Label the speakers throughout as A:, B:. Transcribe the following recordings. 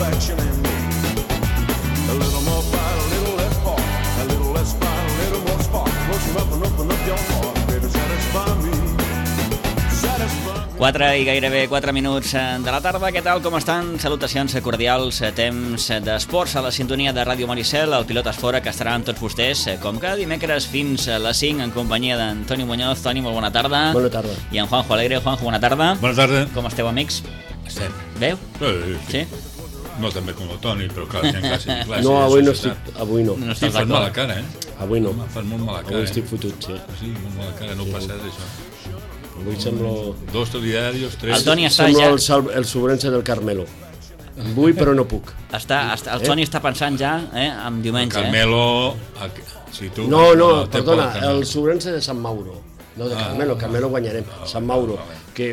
A: satisfaction in me. A little more fight, a little less part. A little less fight, a little more spark. Close enough and open up your heart. Baby, satisfy me. Satisfy me.
B: 4 i gairebé 4 minuts de la tarda. Què tal, com estan? Salutacions cordials, temps d'esports a la sintonia de Ràdio Maricel, el Pilotes Fora, que estarà amb tots vostès, com cada dimecres fins a les 5, en companyia d'Antoni Muñoz. Toni, molt bona tarda.
C: Bona tarda.
B: I en Juanjo Alegre. Juanjo, bona tarda.
D: Bona tarda.
B: Com esteu, amics?
D: Estem.
B: Veu?
D: Sí. No tan bé com el Toni, però clar, hi ha classe.
C: No, avui no estic. Avui no.
B: No
D: Sí,
B: estàs
D: fas mala
B: d'acord?
D: cara, eh?
C: Avui no.
D: Fas molt mala cara,
C: Avui estic fotut, sí.
D: Sí, molt mala cara, no passa d'això.
C: Avui semblo...
D: 2 telediarios, 3...
B: El Toni està
C: Semblo
B: ja...
C: el sobrense del Carmelo. Vull, però no puc.
B: El Toni està pensant ja en diumenge.
D: Carmelo... Si tu...
C: No,
D: te
C: perdona,
D: pot Carmelo.
C: el sobrense de Sant Mauro. No de Carmelo, Carmelo guanyarem. Sant Mauro. Que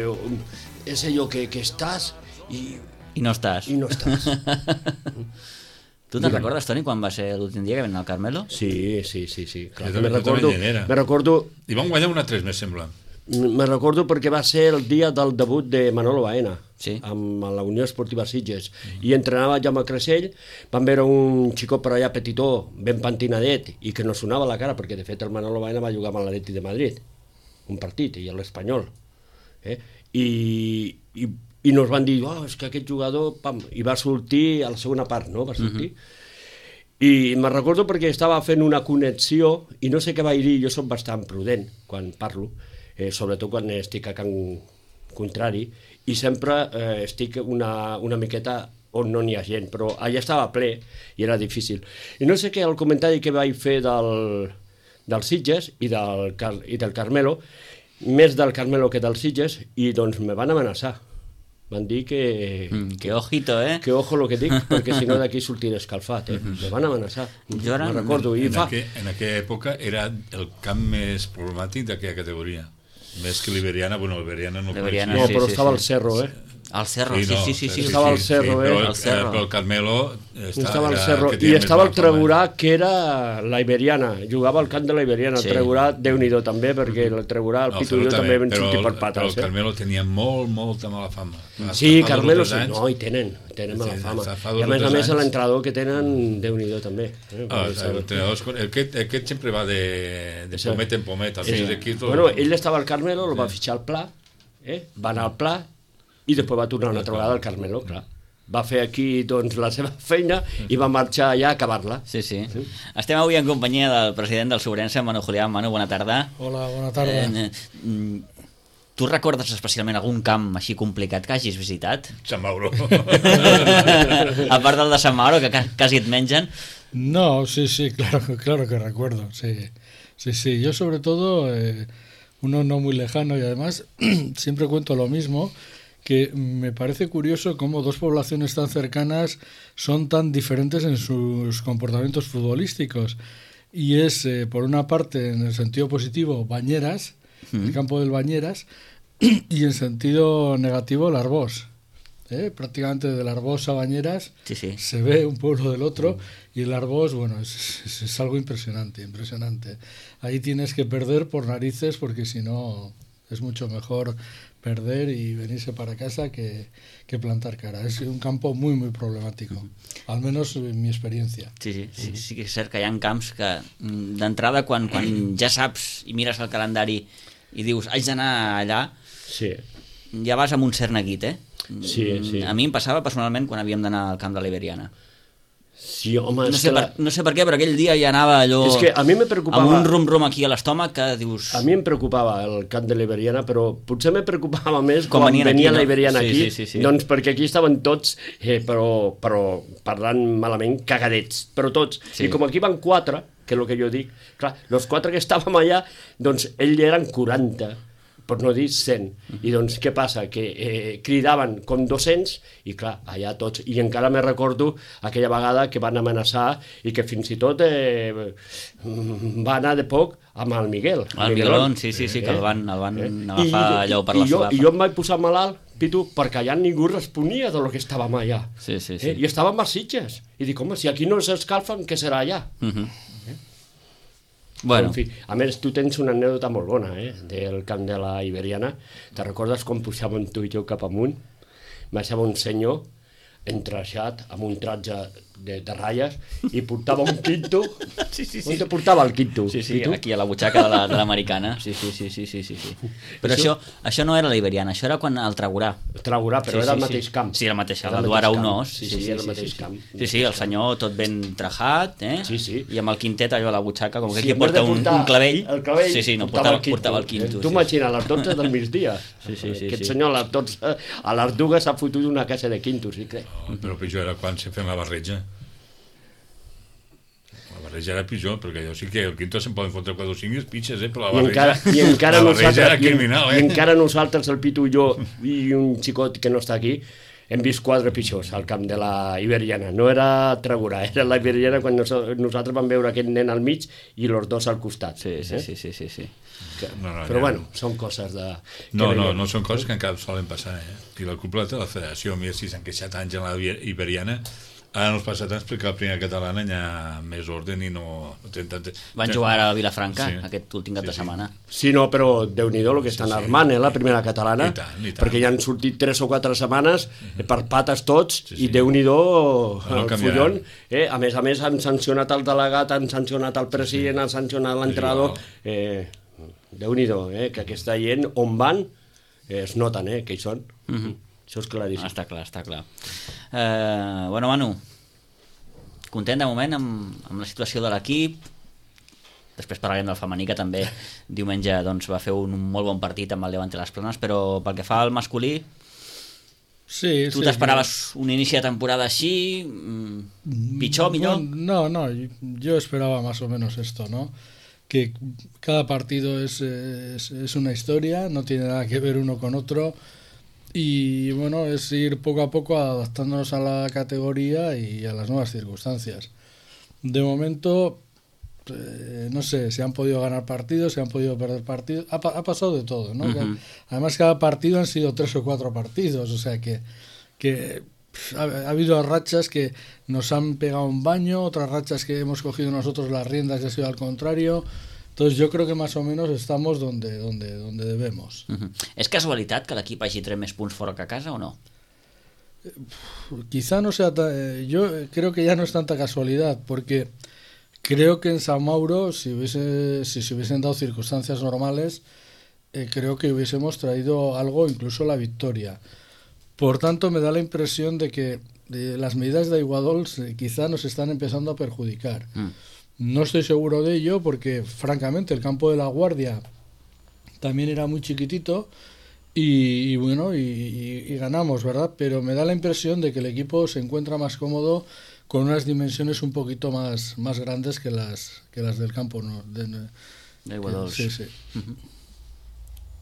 C: és allò que estàs
B: I no estàs.
C: i no estàs.
B: Tu te'n recordes, Toni, quan va ser l'últim dia que vam anar al Carmelo?
C: Sí. Clar,
D: Jo
C: me
D: també hi era.
C: recordo
D: I van guanyar una 3 més, sembla.
C: Me recordo perquè va ser el dia del debut de Manolo Baena,
B: Sí.
C: amb la Unió Esportiva Sitges, i entrenava Jaume Creixell. Van veure un xicot per allà petitó, ben pentinadet, i que no sonava la cara, perquè de fet el Manolo Baena va jugar amb l'Atleti de Madrid, un partit, i l'Espanyol. I nos van dir, és que aquest jugador... Pam, i va sortir a la segona part, no? Va sortir. I me'n recordo perquè estava fent una connexió i no sé què vaig dir, jo soc bastant prudent quan parlo, sobretot quan estic a Can Contrari, i sempre estic una miqueta on no n'hi ha gent, però allà estava ple i era difícil. I no sé què, el comentari que vaig fer del Sitges i del Carmelo, més del Carmelo que del Sitges, i doncs me van amenaçar. Van dir que...
B: Que ojito,
C: Que ojo lo que dic, perquè si no d'aquí sortiré escalfat, Me van amenaçar.
B: Jo ara...
C: Me'n recordo.
D: En aquella època era el camp més problemàtic d'aquella categoria. Més que l'Iberiana, bueno, l'Iberiana no
B: L'Iberiana,
C: No,
B: sí,
C: però
B: sí,
C: estava
B: sí.
C: al Cerro,
B: Al Cerro, sí.
C: Estava al Cerro,
B: al Cerro.
D: Però el Carmelo...
C: Estava al Cerro. I estava el Tregurà, que era la Iberiana. Jugava al camp de la Iberiana.
B: Sí.
C: El Tregurà, Déu-n'hi-do també, perquè el Tregurà, el Pitu i jo també vam sortir per pates.
D: Però el Carmelo tenia molta mala fama.
C: Sí, Carmelo, sí. No, i tenen mala fama. I a més l'entrenador que tenen, Déu-n'hi-do també.
D: Aquest sempre va de pomet en pomet.
C: Bueno, ell estava al Carmelo, el va fitxar al Pla, va anar al Pla, i després va tornar una altra vegada al Carmelo, clar. Va fer aquí doncs, la seva feina i va marxar allà a acabar-la.
B: Sí. Estem avui en companyia del president del Sobrense, Manu Julián. Manu, bona tarda.
E: Hola, bona tarda.
B: Tu recordes especialment algun camp així complicat que hagis visitat?
D: Sant Mauro.
B: A part del de Sant Mauro, que quasi et mengen.
E: No, sí, claro que recuerdo. Sí. Yo sobre todo, uno no muy lejano y además siempre cuento lo mismo, que me parece curioso cómo dos poblaciones tan cercanas son tan diferentes en sus comportamientos futbolísticos. Y es, por una parte, en el sentido positivo, Bañeras, el campo del Bañeras, y en sentido negativo, el Arbós. Prácticamente del Arbós a Bañeras se ve un pueblo del otro, y el Arbós, bueno, es algo impresionante. Ahí tienes que perder por narices, porque si no es mucho mejor perder y venirse para casa que plantar cara. Es un campo muy, muy problemático, al menos en mi experiencia.
B: Sí que és cert que hi ha camps que d'entrada quan ja saps i mires el calendari i dius haig d'anar allà, ja vas amb un cert neguit,
C: Sí.
B: A mi em passava personalment quan havíem d'anar al camp de l'Iberiana.
C: Sí, home,
B: no sé per què, però aquell dia ja anava allò...
C: És que a mi me preocupava...
B: Amb un rum-rum aquí a l'estómac que dius...
C: A mi em preocupava el camp de l'Iberiana, però potser me preocupava més quan venia la Iberiana aquí, doncs perquè aquí estaven tots, però parlant malament, cagadets, però tots. I com aquí van 4, que és el que jo dic, clar, els 4 que estàvem allà, doncs ells eren 40, per no dir 100. I doncs què passa? Que cridaven com 200 i clar, allà tots. I encara me recordo aquella vegada que van amenaçar i que fins i tot va anar de poc amb el Miguel.
B: El Miguelón, sí, que el van agafar allò per la solapa.
C: I jo em vaig posar malalt, Pitu, perquè allà ningú responia de lo que estàvem allà.
B: Sí.
C: I estàvem a Sitges. I dic, home, si aquí no s'escalfen, què serà allà?
B: Bueno.
C: En fi, a més, tu tens una anècdota molt bona, del camp de la Iberiana. Te recordes quan pujàvem tu i jo cap amunt? Baixava un senyor entraixat, amb un tratge de ratlles, i portava un quinto.
B: Sí.
C: On te portava el quinto?
B: Sí,
C: I tu?
B: aquí a la butxaca de l'americana. Sí. Però això no era la Iberiana, això era quan el Tragurà.
C: Tragurà, però era el mateix camp.
B: Sí, el mateix,
C: Era
B: el
C: el
B: Duara
C: mateix camp.
B: Unós.
C: Sí, era el mateix camp.
B: Sí, el senyor tot ben trajat,
C: Sí.
B: i amb el quintet allò a la butxaca, com que aquí
C: en vez de
B: porta un
C: portar
B: clavell.
C: El clavell
B: Sí, no, portava el quinto.
C: Tu imagina, a les 12 del migdia.
B: Sí.
C: Aquest senyor a les 12, a les dues s'ha fotut una casa de quintos, sí, crec.
D: Però pitjor era quan se feien la barreja. La barreja era pitjor, perquè jo sí que el quinto se'n poden fotre 4 o 5 pitxes, però la barreja era criminal,
C: I encara nosaltres, el Pitu i jo, i un xicot que no està aquí, hem vist 4 pitjors al camp de la Iberiana. No era Tragurà, era la Iberiana quan nosaltres vam veure aquest nen al mig i els dos al costat.
B: Sí.
C: Però bueno, són coses de...
D: No són coses que encara solen passar, I la cúpula de la federació, mira si s'han queixat anys en la Iberiana, ara no els passa tant perquè la primera catalana hi ha més ordre i no...
B: Van jugar a Vilafranca aquest últim cap de
D: Sí.
B: setmana.
C: Sí, no, però Déu-n'hi-do el que estan armant, la primera catalana,
D: I tant.
C: perquè ja han sortit 3 o 4 setmanes per pates tots, i Déu-n'hi-do
D: No
C: el
D: canviaran.
C: fullon. A més, han sancionat el delegat, han sancionat el president, han sancionat l'entrenador. Déu-n'hi-do, que aquesta gent on van es noten, que hi són. Això és claríssim.
B: Està clar. Bueno, Manu, content de moment amb la situació de l'equip. Després parlarem del femení, que també diumenge va fer un molt bon partit amb el Levante Las Planes, però pel que fa al masculí, tu t'esperaves un inici de temporada així, pitjor, millor?
E: No, yo esperaba más o menos esto, ¿no? Que cada partido es una historia, no tiene nada que ver uno con otro, y bueno, es ir poco a poco adaptándonos a la categoría y a las nuevas circunstancias. De momento, no sé, se han podido ganar partidos, se han podido perder partidos, ha pasado de todo, ¿no? Además, cada partido han sido 3 o 4 partidos, o sea que ha habido rachas que nos han pegado un baño, otras rachas que hemos cogido nosotros las riendas y ha sido al contrario. Entonces yo creo que más o menos estamos donde debemos.
B: És casualitat que l'equip hagi tret més punts fora que a casa o no?
E: Quizá no sea yo creo que ya no es tanta casualidad, porque creo que en San Mauro, si se hubiesen dado circunstancias normales, creo que hubiésemos traído algo, incluso la victoria. Por tanto, me da la impresión de que las medidas de Iguadols quizá nos están empezando a perjudicar. No estoy seguro de ello porque, francamente, el campo de La Guardia también era muy chiquitito y bueno, y ganamos, ¿verdad? Pero me da la impresión de que el equipo se encuentra más cómodo con unas dimensiones un poquito más grandes que las del campo, ¿no?
B: De Iguadols.
E: Sí.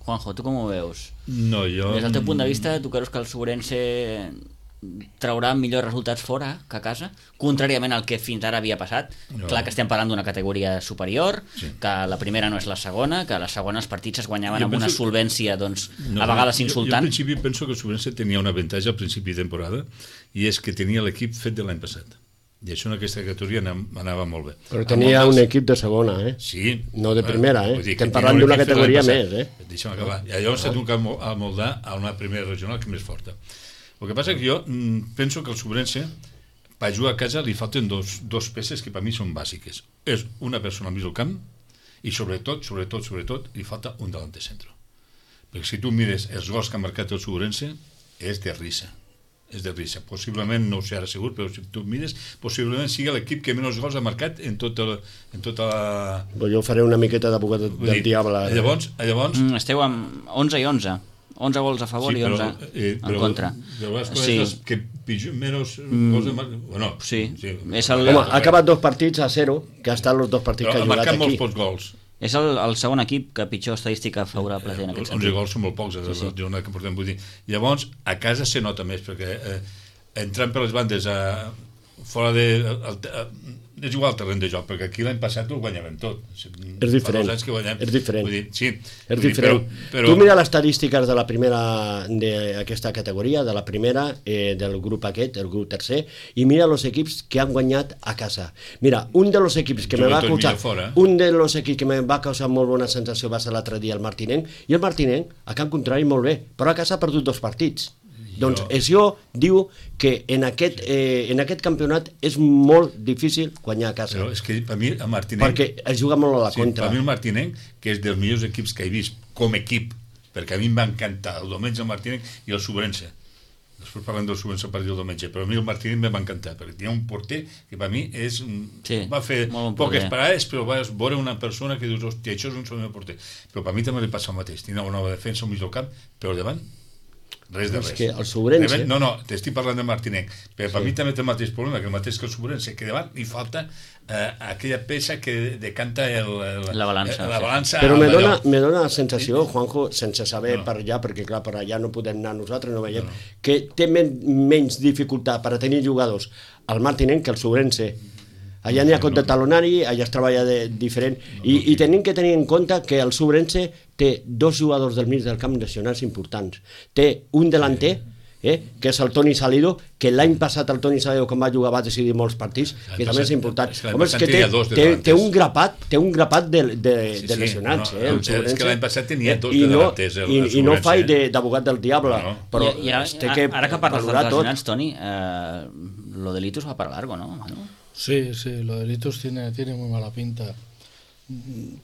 B: Juanjo, tu com ho veus?
D: No, jo...
B: Des del teu punt de vista, tu creus que el Sobrense traurà millors resultats fora que a casa, contràriament al que fins ara havia passat?
D: No.
B: Clar que estem parlant d'una categoria superior, que la primera no és la segona, que la segona els partits es guanyaven amb una solvència, doncs, a vegades insultant.
D: Jo al principi penso que el Sobrense tenia un avantatge al principi de temporada, i és que tenia l'equip fet de l'any passat. I això en aquesta categoria anava molt bé.
C: Però tenia un equip de segona,
D: Sí.
C: No de primera,
D: Vull dir,
C: Estem
D: que
C: parlant
D: tenia un
C: d'una
D: equip fet
C: categoria
D: l'any
C: més,
D: passat. Deixa'm acabar. I llavors s'ha tocat a moldar a una primera regional que és més forta. El que passa és que jo penso que el Sobrense, per jugar a casa, li falten dos peces que per mi són bàsiques. És una persona al mig del camp i sobretot, li falta un delanter centre. Perquè si tu mires els gols que ha marcat el Sobrense, és de risa. Possiblement, no ho sé ara segur, però si tu mires, possiblement sigui l'equip que menys gols ha marcat en tota la...
C: Jo faré una miqueta d'abogat del diable.
D: Llavors...
B: Esteu amb 11 i 11. 11 gols a favor i 11 en contra.
D: Però les coses que menys gols de marcat... Bueno,
B: sí.
C: Home, ha acabat 2 partits a 0, que ha estat els 2 partits que ha jugat aquí.
D: Ha marcat molts pocs gols.
B: És el segon equip que pitjor estadística favorable té en aquest sentit.
D: 11 gols són molt pocs, la jornada que portem, vull dir. Llavors, a casa se nota més, perquè entrant per les bandes fora de... És igual el terreny de joc, perquè aquí l'any passat ho guanyàvem tot.
C: És diferent. És diferent.
D: Vull dir, sí.
C: És diferent. Tu mira les estadístiques de la primera, d'aquesta categoria, de la primera, del grup aquest, el grup tercer, i mira els equips que han guanyat a casa. Mira, un dels equips que me va causar molt bona sensació va ser l'altre dia el Martinenc, i el Martinenc, a camp contrari, molt bé, però a casa ha perdut 2 partits. Doncs això diu que en aquest campionat és molt difícil guanyar a casa.
D: Però és que per mi el Martinenc...
C: Perquè es juga molt a la
D: sí,
C: contra.
D: Per mi el Martinenc, que és dels millors equips que he vist com equip, perquè a mi em va encantar el Domènech, el Martinenc i el Sobrense. Després parlem del Sobrense a partir del Domènech, però a mi el Martinenc em va encantar, perquè tenia un porter que per mi és...
B: Sí,
D: va fer poques
B: porter.
D: parades, però vas veure una persona que dius, hòstia, això és un sol porter. Però per mi també li passa el mateix. Tenia una nova defensa al mig del camp, però al davant res de res.
C: És que el Sobrense...
D: No, t'estic parlant de Martinenc, però per mi també té el mateix problema, que el mateix que el Sobrense, que davant li falta aquella peça que decanta
B: la balança.
C: Però me dona la sensació, Juanjo, sense saber per allà, perquè clar, per allà no podem anar nosaltres, no veiem, que té menys dificultat per a tenir jugadors al Martinenc que el Sobrense. Allà n'hi ha compte talonari, allà es treballa diferent, i tenim que tenir en compte que el Sobrense té dos jugadors del mig del camp lesionats importants. Té un delanter, que és el Toni Salido, que l'any passat el Toni Salido, quan va jugar, va decidir molts partits, que també és important. Home, és que té un grapat de lesionats, el Sobrense.
D: És que l'any passat tenia dos delanters.
C: I no faig d'abogat del diable, però
B: ara que parles dels lesionats, Toni, lo de Litus va para largo, ¿no?
E: Sí, lo de Litus tiene muy mala pinta,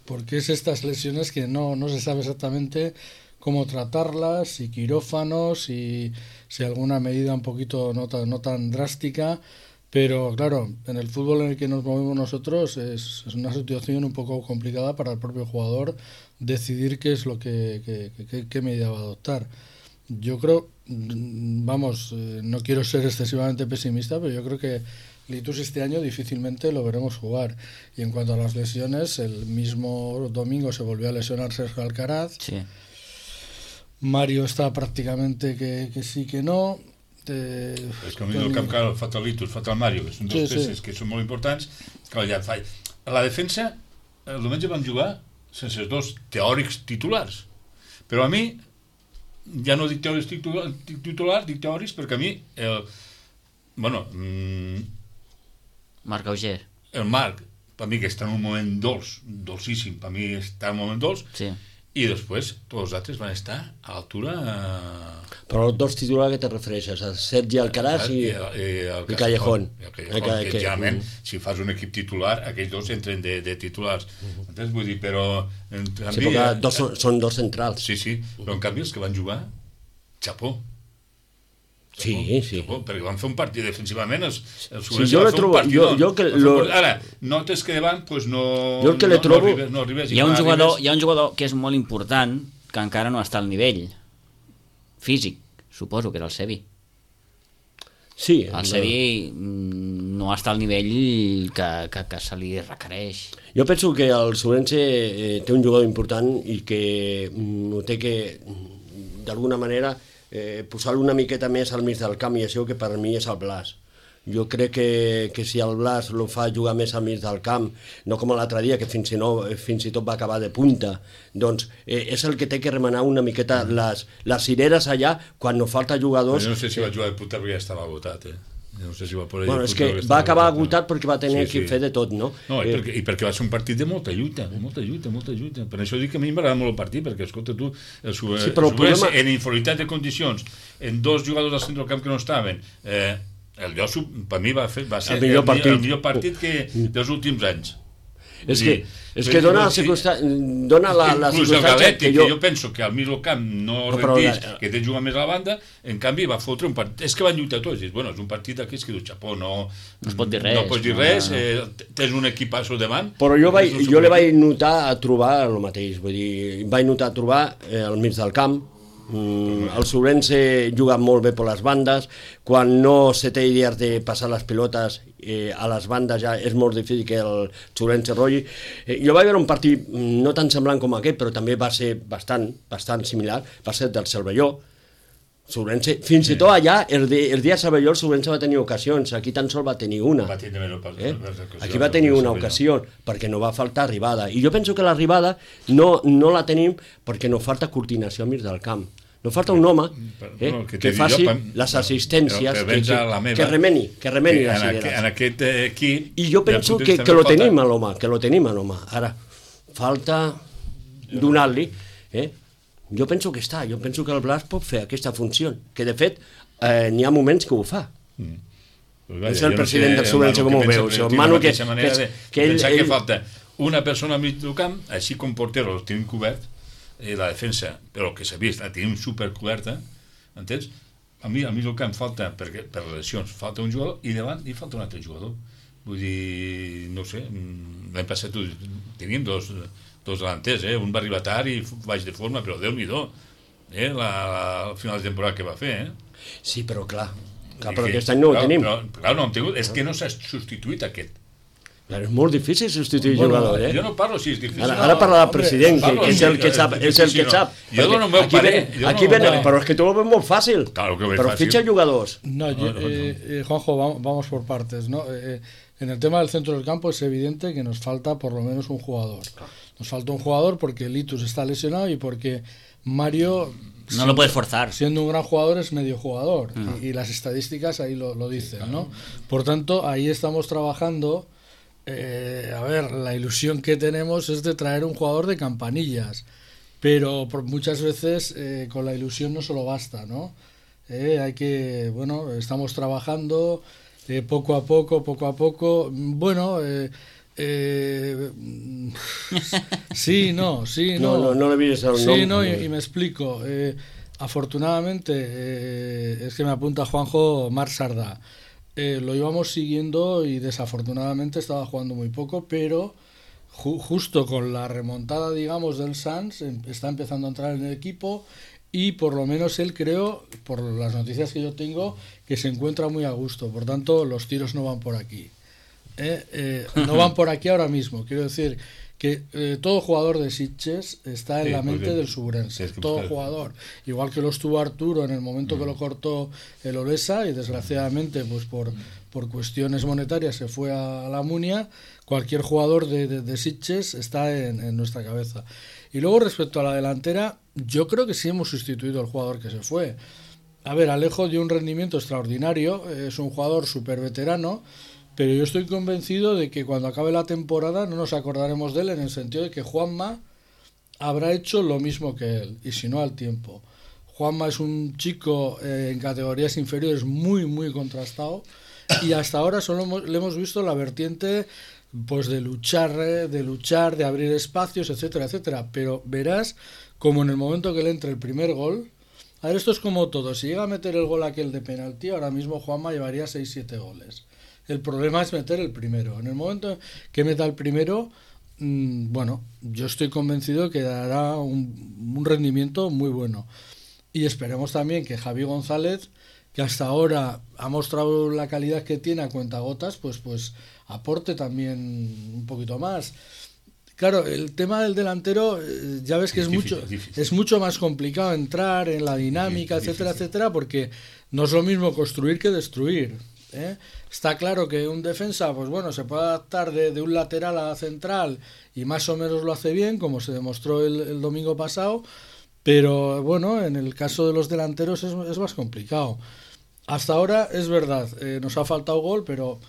E: porque es estas lesiones que no se sabe exactamente cómo tratarlas, si quirófanos, si alguna medida un poquito no tan drástica, pero claro, en el fútbol en el que nos movemos nosotros es una situación un poco complicada para el propio jugador decidir qué es lo qué medida va a adoptar. Yo creo, no quiero ser excesivamente pesimista, pero yo creo que Litus este año difícilmente lo veremos jugar. Y en cuanto a las lesiones, el mismo domingo se volvió a lesionar Sergio Alcaraz.
B: Sí.
E: Mario està pràcticamente que sí que no.
D: És que a mi el camp cal fa el Litus, fa el Mario, que són dos peces que són molt importants. Clar, ja fa... A la defensa, el diumenge vam jugar sense els dos teòrics titulars. Però a mi, ja no dic teòrics titulars, dic teòrics perquè a mi
B: Marc Auger.
D: El Marc, per mi que està en un moment dolcíssim, per mi està en un moment dolç,
B: sí.
D: I després tots els altres van estar a l'altura...
C: Però els dos titulars que te refereixes, el Sergi Alcaraz i Callejón.
D: Que generalment, si fas un equip titular, aquells dos entren de titulars. Entens? Vull dir, però...
C: Sí, perquè són dos centrals.
D: Sí, però en canvi els que van jugar, xapó.
C: Sí.
D: Perquè van fer un partit defensivament, el
C: Sobrense va fer un partit.
D: Ara, notes que davant no arribes.
B: Hi ha un jugador que és molt important, que encara no està al nivell físic, suposo que és el Sevi.
C: Sí.
B: El Sevi no està al nivell que se li requereix.
C: Jo penso que el Sobrense té un jugador important i que té que, d'alguna manera, posar-lo una miqueta més al mig del camp, i això que per mi és el Blas. Jo crec que si el Blas lo fa jugar més al mig del camp, no com l'altre dia, que fins i tot va acabar de punta, doncs és el que té que remenar una miqueta les cireres allà quan no falta jugadors.
D: Jo no sé si va jugar de punta perquè ja estava agotat, No sé si va poder
C: és que va acabar agotat perquè va tenir que fer de tot, no?
D: I perquè va ser un partit de molta lluita. Per això dic que a mi m'agrada molt el partit, perquè, escolta, tu, el Sobrense, en inferioritat de condicions, en dos jugadors al centre del camp que no estaven, el Llosso, per mi, va ser el millor partit dels últims anys. És que dona la circumstància que jo penso que al mig del camp no rendís, que té jugar més a la banda, en canvi va fotre un partit, és que van lluitar tots, és un partit d'aquests que diu xapó, no
B: es pot dir res,
D: no pots dir res, tens un equipasso davant.
C: Però jo le vaig notar a trobar el mateix, vull dir, vaig notar a trobar al mig del camp. El Sobrense juga molt bé per les bandes, quan no se té idees de passar les pilotes a les bandes ja és molt difícil que el Sobrense rotlli. Jo vaig veure un partit no tan semblant com aquest, però també va ser bastant similar, va ser del Cervelló. Sobrense, fins i tot allà, el dia de Cervelló, el Sobrense va tenir ocasions, aquí tan sol va tenir una. Aquí va tenir una ocasió, perquè no va faltar arribada. I jo penso que l'arribada no la tenim perquè no falta coordinació al mig del camp. No falta un home que faci les assistències, que remeni les idees.
D: En aquest equip...
C: I jo penso que lo tenim a l'home, Ara, falta donar-li, Jo penso que està, jo penso que el Blas pot fer aquesta funció, que de fet n'hi ha moments que ho fa.
D: Pues vaya,
C: És el
D: jo
C: president del Sobrense, com ho veus? El Manu que
D: pensar que falta una persona al mig del camp, així com portero el tenim cobert, la defensa, però que s'ha vist, la tenim supercoberta, entens? A mi al mig del camp falta, perquè per lesions falta un jugador, i davant hi falta un altre jugador. Vull dir, no sé, l'any passat teníem dos delanters, un va arribar tard i baix de forma, però Déu-n'hi-do, al final de temporada que va fer,
C: Sí, però clar, però aquest any no ho tenim.
D: Però no hem tingut, és que no s'ha substituït aquest.
C: És molt difícil substituir jugador,
D: Jo no parlo si és difícil.
C: Ara parla el president, que és el que sap.
D: Jo dono el meu parer.
C: Però és que tu ho ves molt fàcil.
D: Claro que ho veig
C: però
D: fàcil.
C: fitxa jugadors.
E: No, Juanjo, vamos por partes, ¿no? En el tema del centro del campo es evidente que nos falta por lo menos un jugador. Nos falta un jugador porque Litus está lesionado y porque Mario...
B: No lo puedes forzar.
E: Siendo un gran jugador es medio jugador y las estadísticas ahí lo dicen, ¿no? Por tanto, ahí estamos trabajando. A ver, la ilusión que tenemos es de traer un jugador de campanillas, pero muchas veces con la ilusión no solo basta, ¿no? Hay que, bueno, estamos trabajando poco a poco. Bueno, sí, no.
C: No le mires al
E: sí, no, y me explico. Afortunadamente, es que me apunta Juanjo Marc Sardà. Lo íbamos siguiendo y desafortunadamente estaba jugando muy poco, pero justo con la remontada, digamos, del Sanz está empezando a entrar en el equipo y por lo menos él, creo, por las noticias que yo tengo, que se encuentra muy a gusto. Por tanto, los tiros no van por aquí. No van por aquí ahora mismo. Quiero decir que todo jugador de Sitges está en la mente del Subrense, todo jugador, igual que lo estuvo Arturo en el momento que lo cortó el Olesa y desgraciadamente pues por cuestiones monetarias se fue a la Munia. Cualquier jugador de Sitges está en nuestra cabeza. Y luego respecto a la delantera, yo creo que sí hemos sustituido al jugador que se fue. A ver, Alejo dio un rendimiento extraordinario, es un jugador súper veterano, pero yo estoy convencido de que cuando acabe la temporada no nos acordaremos de él, en el sentido de que Juanma habrá hecho lo mismo que él, y si no al tiempo. Juanma es un chico en categorías inferiores muy contrastado, y hasta ahora solo le hemos visto la vertiente pues de luchar, de abrir espacios, etcétera, pero verás como en el momento que le entre el primer gol, a ver, esto es como todo, si llega a meter el gol aquel de penalti, ahora mismo Juanma llevaría 6-7 goles. El problema es meter el primero. En el momento que meta el primero, bueno, yo estoy convencido que dará un rendimiento muy bueno. Y esperemos también que Javi González, que hasta ahora ha mostrado la calidad que tiene a cuentagotas, pues aporte también un poquito más. Claro, el tema del delantero, ya ves que es mucho más complicado entrar en la dinámica, etcétera, porque no es lo mismo construir que destruir. Está claro que un defensa, pues bueno, se puede adaptar de un lateral a la central y más o menos lo hace bien, como se demostró el domingo pasado, pero bueno, en el caso de los delanteros es más complicado. Hasta ahora es verdad, nos ha faltado gol, pero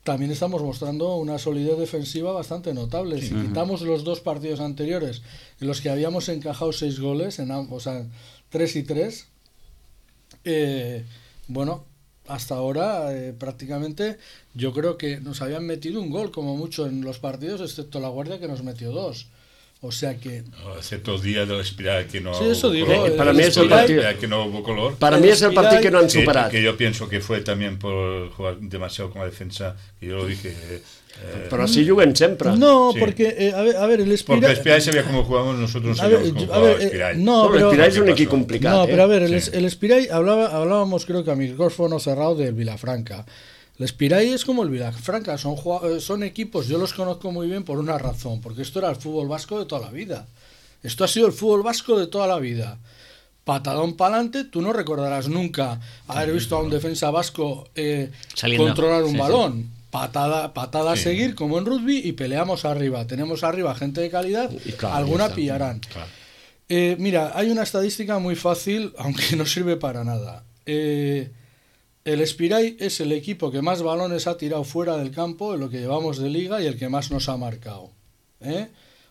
E: también estamos mostrando una solidez defensiva bastante notable. Si quitamos los dos partidos anteriores en los que habíamos encajado 6 goles, o sea, 3 y 3, bueno, hasta ahora prácticamente yo creo que nos habían metido un gol como mucho en los partidos, excepto la Guardia, que nos metió 2. O sea que...
D: Excepto el día de l'Espirai, que no...
E: Sí, eso digo.
C: Para mí es el partido...
D: Que no hubo color.
C: Para mí es el partido que no han superado.
D: Que yo pienso que fue también por jugar demasiado con la defensa, que yo lo dije...
C: Pero así juguen siempre.
E: No,
D: sí.
E: Porque, a ver, el Espirai...
D: Porque el Espirai sabía cómo jugamos, nosotros no sabíamos cómo jugaba el Espirai.
E: No,
C: el Espirai es un equipo complicado.
E: No, pero a ver, el Espirai, hablábamos creo que a micrófono cerrado del Vilafranca. El Espirai es como el Vilafranca, son equipos, yo los conozco muy bien por una razón, porque esto era el fútbol vasco de toda la vida. Esto ha sido el fútbol vasco de toda la vida. Patadón para adelante, tú no recordarás nunca haber visto a un defensa vasco controlar un balón. Sí. Patada a seguir, como en rugby, y peleamos arriba. Tenemos arriba gente de calidad, claro, alguna pillarán. Claro. Mira, hay una estadística muy fácil, aunque no sirve para nada. El Espirai es el equipo que más balones ha tirado fuera del campo en lo que llevamos de liga y el que más nos ha marcado.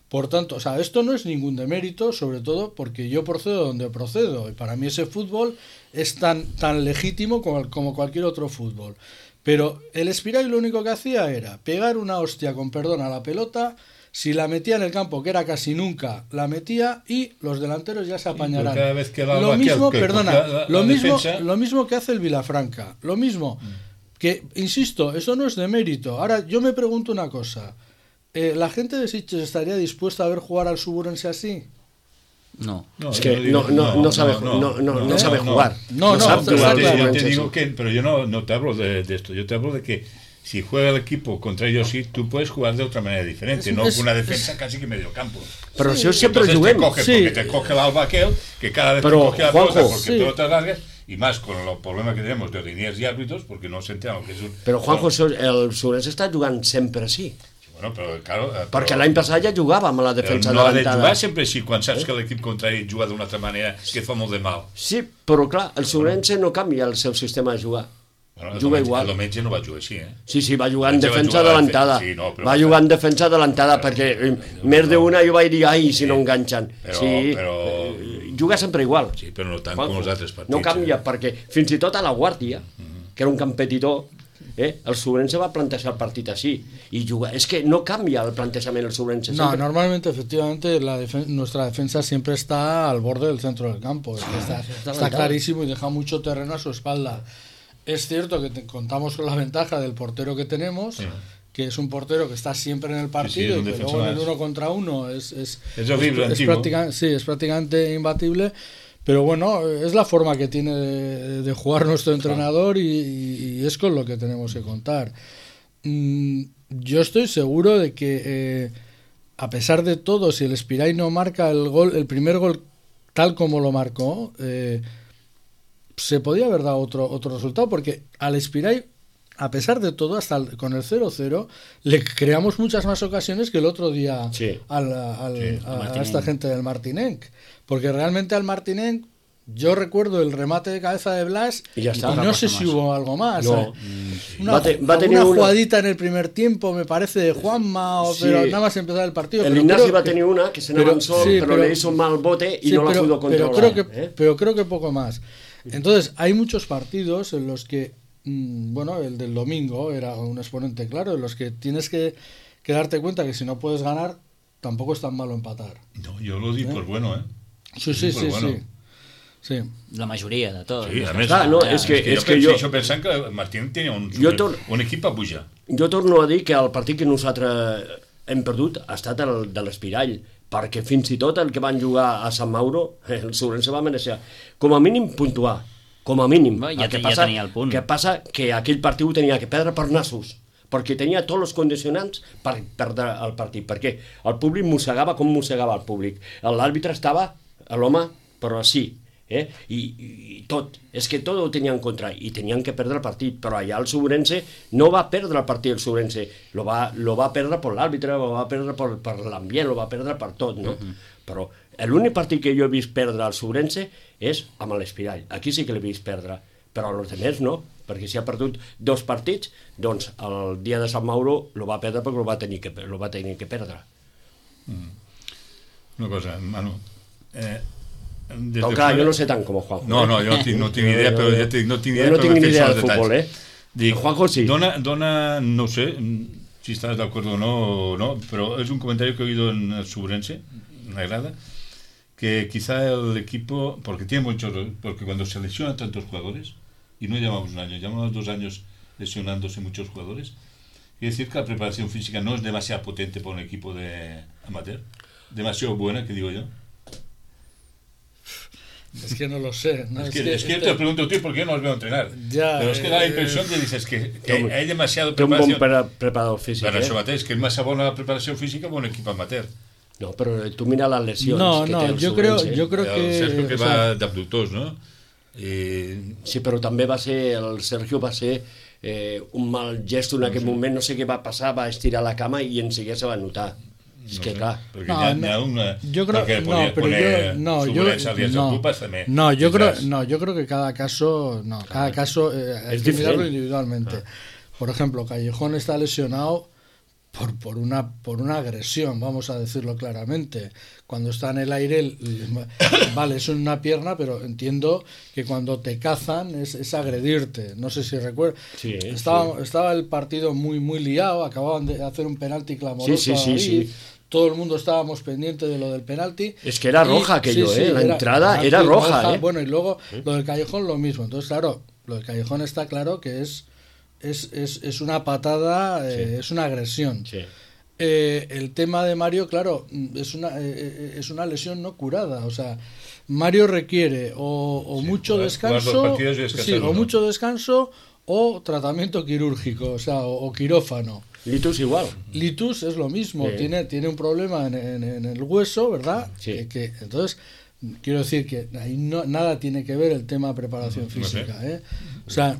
E: Por tanto, o sea, esto no es ningún demérito, sobre todo porque yo procedo donde procedo, y para mí ese fútbol es tan legítimo como cualquier otro fútbol. Pero el Espiral lo único que hacía era pegar una hostia, con perdón, a la pelota. Si la metía en el campo, que era casi nunca, la metía, y los delanteros ya se apañarán.
D: Cada vez que
E: lo mismo,
D: defensa...
E: lo mismo que hace el Vilafranca, lo mismo. Que, insisto, eso no es de mérito. Ahora, yo me pregunto una cosa. ¿La gente de Sitges estaría dispuesta a ver jugar al Suburense así?
B: No.
C: Es que no sabe jugar.
D: Yo te digo que, pero yo no te hablo de esto. Yo te hablo de que si juega el equipo contra ellos, sí, tú puedes jugar de otra manera diferente, no con una defensa casi que medio campo.
C: Pero si siempre juguem.
D: Porque te coge el Alba aquel, que cada vez
C: pero,
D: te coge la pelota porque
E: sí.
D: pelotas largas, y más con el problema que tenemos de líneas y árbitros, porque no se entiende lo que es un...
C: Però, Juanjo, el Suburense està jugant sempre així.
D: Bueno, però, claro,
C: perquè l'any passat ja jugava amb la defensa
D: no ha de
C: adelantada.
D: jugar sempre així, quan saps que l'equip contrari juga d'una altra manera que et fa molt de mal.
C: Sí, però clar, el Suburense no canvia el seu sistema de jugar.
D: Bueno,
C: juga igual.
D: El diumenge no va jugar així,
C: Sí, va jugar en defensa adelantada.
D: Sí, no,
C: va jugar en defensa adelantada perquè més d'una jo vaig dir, ai, si no enganxen.
D: Però
C: juga sempre igual.
D: Sí, però no tant com els altres partits.
C: No canvia, perquè fins i tot a la Guàrdia, que era un competidor, el Suburense va plantejar el partit així i jugar. Es que no cambia el plantejament el Suburense.
E: No, normalmente, efectivamente, nuestra defensa siempre está al borde del centro del campo. Está clarísimo y deja mucho terreno a su espalda. Es cierto que contamos con la ventaja del portero que tenemos, que es un portero que está siempre en el partido y que luego en el 1 contra 1 es prácticamente imbatible. Pero bueno, es la forma que tiene de jugar nuestro entrenador y es con lo que tenemos que contar. Yo estoy seguro de que a pesar de todo, si el Espirai no marca el primer gol tal como lo marcó, se podía haber dado otro resultado, porque al Espirai, a pesar de todo, hasta con el 0-0, le creamos muchas más ocasiones que el otro día a esta gente del Martinenc. Porque realmente al Martinenc, yo recuerdo el remate de cabeza de Blas y no sé si hubo algo más.
C: No.
E: Una jugadita en el primer tiempo, me parece, de Juanma, pero nada más empezar el partido.
C: El Ignasi va a tener una que se no avanzó, pero le hizo un mal bote y no la pudo controlar.
E: Pero creo que poco más. Entonces, hay muchos partidos en los que, bueno, el del domingo era un exponente claro, en los que tienes que darte cuenta que si no puedes ganar, tampoco es tan malo empatar.
D: No, yo lo di por bueno,
E: Sí.
B: La majoria de tot.
D: Sí, a més,
C: és que jo
D: pensant que Martín tenia un equip a pujar.
C: Jo torno a dir que el partit que nosaltres hem perdut ha estat el de l'Espirall, perquè fins i tot el que van jugar a Sant Mauro, el Suburense va mereixer com a mínim puntuar, com a mínim.
B: Ja tenia el punt.
C: El que passa que aquell partit ho tenia que perdre per nassos, perquè tenia tots els condicionants per perdre el partit, perquè el públic mossegava com mossegava el públic. L'àrbitre estava, l'home, però sí, i tot, és que tot ho tenien en contra i tenien que perdre el partit, però allà el Suburense no va perdre el partit, el Suburense lo va perdre per l'àrbitre, lo va perdre per l'ambient, lo va perdre per tot, no? Però l'únic partit que jo he vist perdre al Suburense és amb l'Espirall, aquí sí que l'he vist perdre, però els altres no, perquè si ha perdut 2 partits, doncs el dia de Sant Mauro lo va perdre perquè lo va tenir que perdre.
D: Una cosa, Manu,
C: però clar, jo no sé tant com el Juanjo.
D: No, jo no tinc ni idea, però no tinc
C: idea del futbol,
D: Dic,
C: Juanjo sí.
D: Dona, no sé si estás de acuerdo o no, pero es un comentario que he oído en el Suburense, me agrada, que quizá el equipo, porque cuando se lesionan tantos jugadores, y no llevamos un año, llevamos 2 años lesionándose muchos jugadores, quiere decir que la preparación física no es demasiado potente para un equipo de amateur, demasiado buena, que digo yo.
E: Es que no lo sé. ¿no?
D: Es que yo te pregunto, tío, ¿por qué no os veo entrenar? Pero es que da la impresión que dices que hay demasiado preparación.
C: Té un bon preparador físic.
D: Però això mateix, que és massa bona la preparació física per un equip amateur.
C: No, però tu mira les lesions que té el
E: Suburense. Jo crec que...
D: El Sergio que va d'abductors, no?
C: Sí, però també el Sergio va ser un mal gest en aquell moment, no sé què va passar, va estirar la cama i en seguida se va notar. És que clar.
D: Perquè n'hi ha una...
E: Yo creo que yo creo que cada caso hay que mirarlo individualmente. Por ejemplo, Callejón está lesionado por una agresión, vamos a decirlo claramente. Cuando está en el aire, vale, es una pierna, pero entiendo que cuando te cazan es agredirte. No sé si recuerdas.
C: Sí,
E: estaba el partido muy liado, acababan de hacer un penalti clamoroso.
C: Sí.
E: Todo el mundo estábamos pendientes de lo del penalti.
C: Es que era roja aquello, la entrada era roja.
E: Bueno, y luego lo del Callejón lo mismo. Entonces, claro, lo del Callejón está claro que es una patada, es una agresión.
C: Sí.
E: El tema de Mario, claro, es una lesión no curada. O sea, Mario requiere o mucho descanso, o mucho descanso o tratamiento quirúrgico, o sea, o quirófano.
C: Litus igual.
E: Litus es lo mismo,
C: Sí.
E: tiene un problema en el hueso, ¿verdad?
C: Sí.
E: Entonces, quiero decir que ahí nada tiene que ver el tema preparación física, ¿eh? O sea,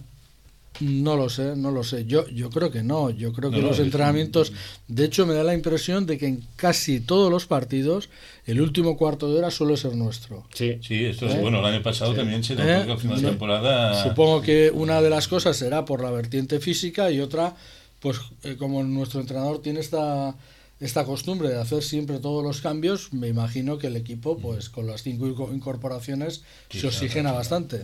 E: no lo sé. Yo creo que no. Yo creo que los entrenamientos, de hecho, me da la impresión de que en casi todos los partidos el último cuarto de hora suele ser nuestro.
C: Sí.
D: Sí, esto es bueno. El año pasado también se notó que al final de temporada.
E: Supongo que una de las cosas será por la vertiente física y otra, pues como nuestro entrenador tiene esta costumbre de hacer siempre todos los cambios, me imagino que el equipo, pues con las 5 incorporaciones, se oxigena bastante.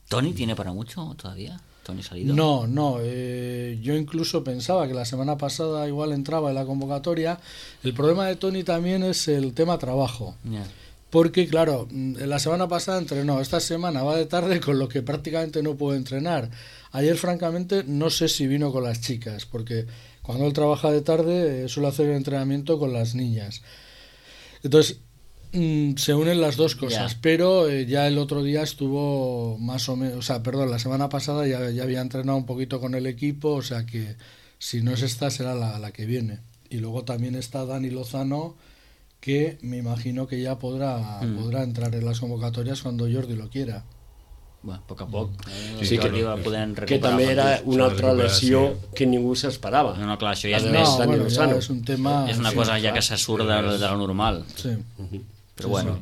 B: ¿Tony tiene para mucho todavía? ¿Tony Salido?
E: No, yo incluso pensaba que la semana pasada igual entraba en la convocatoria. El problema de Tony también es el tema trabajo.
B: Yeah.
E: Porque, claro, la semana pasada entrenó, esta semana va de tarde, con lo que prácticamente no puede entrenar. Ayer, francamente, no sé si vino con las chicas, porque cuando él trabaja de tarde suele hacer el entrenamiento con las niñas. Entonces, se unen las dos cosas, pero ya el otro día estuvo más o menos, la semana pasada ya había entrenado un poquito con el equipo, o sea que si no es esta será la que viene. Y luego también está Dani Lozano, que me imagino que ya podrá entrar en las convocatorias cuando Jordi lo quiera.
B: Bueno, a poc a poc.
C: Sí, que també era una altra lesió que ningú s'esperava.
B: No, clar, això ja és
C: La de
B: més...
C: Dani Lozano.
E: és un tema...
B: És una cosa ja que se surt de lo normal.
E: Sí.
B: Però bueno...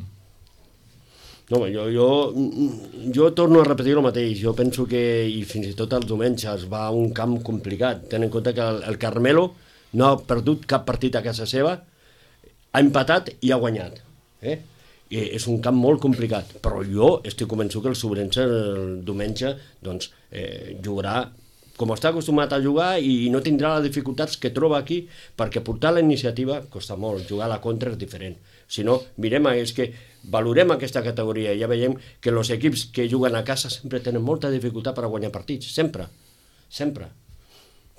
C: No, jo torno a repetir el mateix. Jo penso que, i fins i tot els diumenges, va a un camp complicat. Ten en compte que el Carmelo no ha perdut cap partit a casa seva, ha empatat i ha guanyat. És un camp molt complicat, però jo estic convençut que el Sobrense el diumenge doncs, jugarà com està acostumat a jugar i no tindrà les dificultats que troba aquí, perquè portar la iniciativa costa molt, jugar a la contra és diferent. Si no, valorem aquesta categoria i ja veiem que els equips que juguen a casa sempre tenen molta dificultat per a guanyar partits, sempre.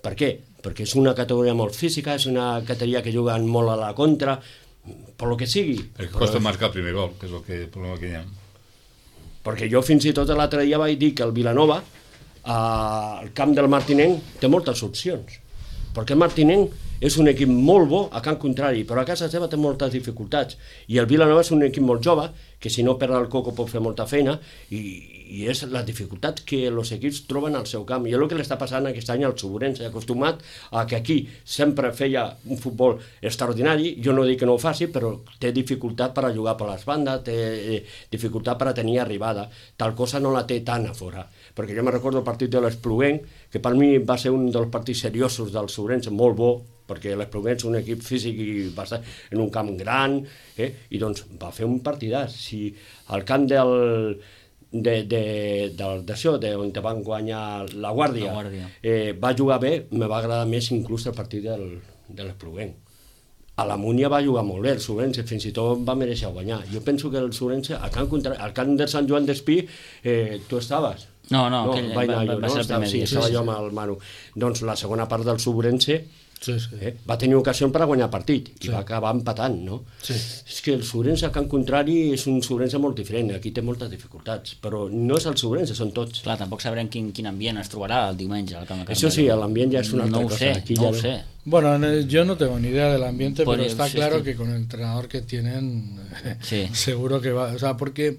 C: Per què? Perquè és una categoria molt física, és una categoria que juguen molt a la contra, per lo que sigui.
D: Perquè costa marcar el primer gol, que és el problema que hi ha.
C: Perquè jo fins i tot l'altre dia vaig dir que el Vilanova, al camp del Martinenc, té moltes opcions. Perquè el Martinenc és un equip molt bo a camp contrari, però a casa seva té moltes dificultats. I el Vilanova és un equip molt jove, que si no perd el coco pot fer molta feina, i és la dificultat que els equips troben al seu camp. I és el que li està passant aquest any al Sobrense, acostumat a que aquí sempre feia un futbol extraordinari, jo no dic que no ho faci, però té dificultat per a jugar per les bandes, té dificultat per a tenir arribada, tal cosa no la té tant a fora. Perquè jo me recordo el partit de l'Espluguenc, que per mi va ser un dels partits seriosos del Sobrense, molt bo, perquè l'Espluguenc és un equip físic i va estar en un camp gran, i doncs va fer un partidàs. Si al camp on van guanyar la Guàrdia, va jugar bé, me va agradar més inclús el partit de l'Espluguenc. A la Múnia va jugar molt bé, el Sobrense fins i tot va mereixer guanyar. Jo penso que el Sobrense, al camp de Sant Joan d'Espí, tu estaves?
B: No,
C: va ser el primer dia. Estava jo amb el Manu. Doncs la segona part del Sobrense va tenir ocasió per a guanyar partit i va acabar empatant, no? És que el Sobrense, al camp contrari, és un Sobrense molt diferent, aquí té moltes dificultats, però no és el Sobrense, són tots.
B: Clar, tampoc sabrem quin ambient es trobarà el diumenge al camp de Carmelo.
C: Eso sí, l'ambient ja és una altra cosa.
B: No ho sé.
E: Bueno, yo no tengo ni idea del ambiente, pero está claro que con el entrenador que tienen, seguro que va, o sea, porque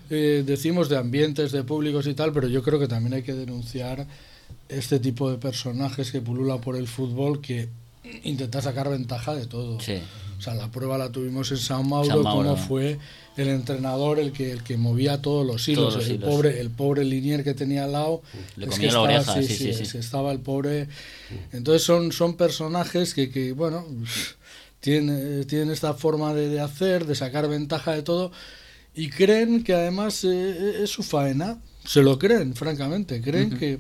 E: decimos de ambientes, de públicos y tal, pero yo creo que también hay que denunciar este tipo de personajes que pululan por el fútbol que intentan sacar ventaja de todo.
B: Sí.
E: O sea, la prueba la tuvimos en San Mauro, cómo fue el entrenador el que movía todos los hilos. El pobre linier que tenía al lado.
B: Le comía la oreja, sí.
E: Estaba el pobre. Entonces son personajes que bueno, tienen esta forma de hacer, de sacar ventaja de todo, y creen que además es su faena. Se lo creen, francamente. Creen que,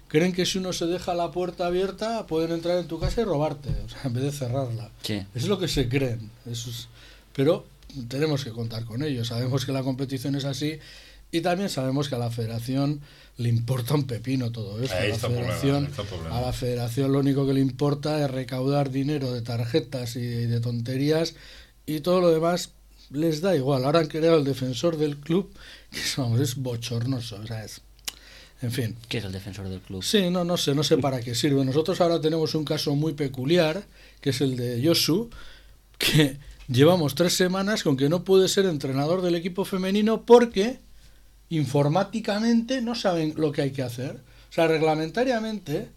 E: creen que si uno se deja la puerta abierta pueden entrar en tu casa y robarte, o sea, en vez de cerrarla.
B: Sí.
E: Es lo que se creen. Pero tenemos que contar con ello. Sabemos que la competición es así y también sabemos que a la federación le importa un pepino todo esto. A la federación lo único que le importa es recaudar dinero de tarjetas y de tonterías, y todo lo demás les da igual. Ahora han creado el defensor del club, que es bochornoso, o sea, en fin.
B: ¿Qué es el defensor del club?
E: Sí, no sé para qué sirve. Nosotros ahora tenemos un caso muy peculiar, que es el de Josu, que llevamos 3 semanas con que no puede ser entrenador del equipo femenino porque informáticamente no saben lo que hay que hacer. O sea, reglamentariamente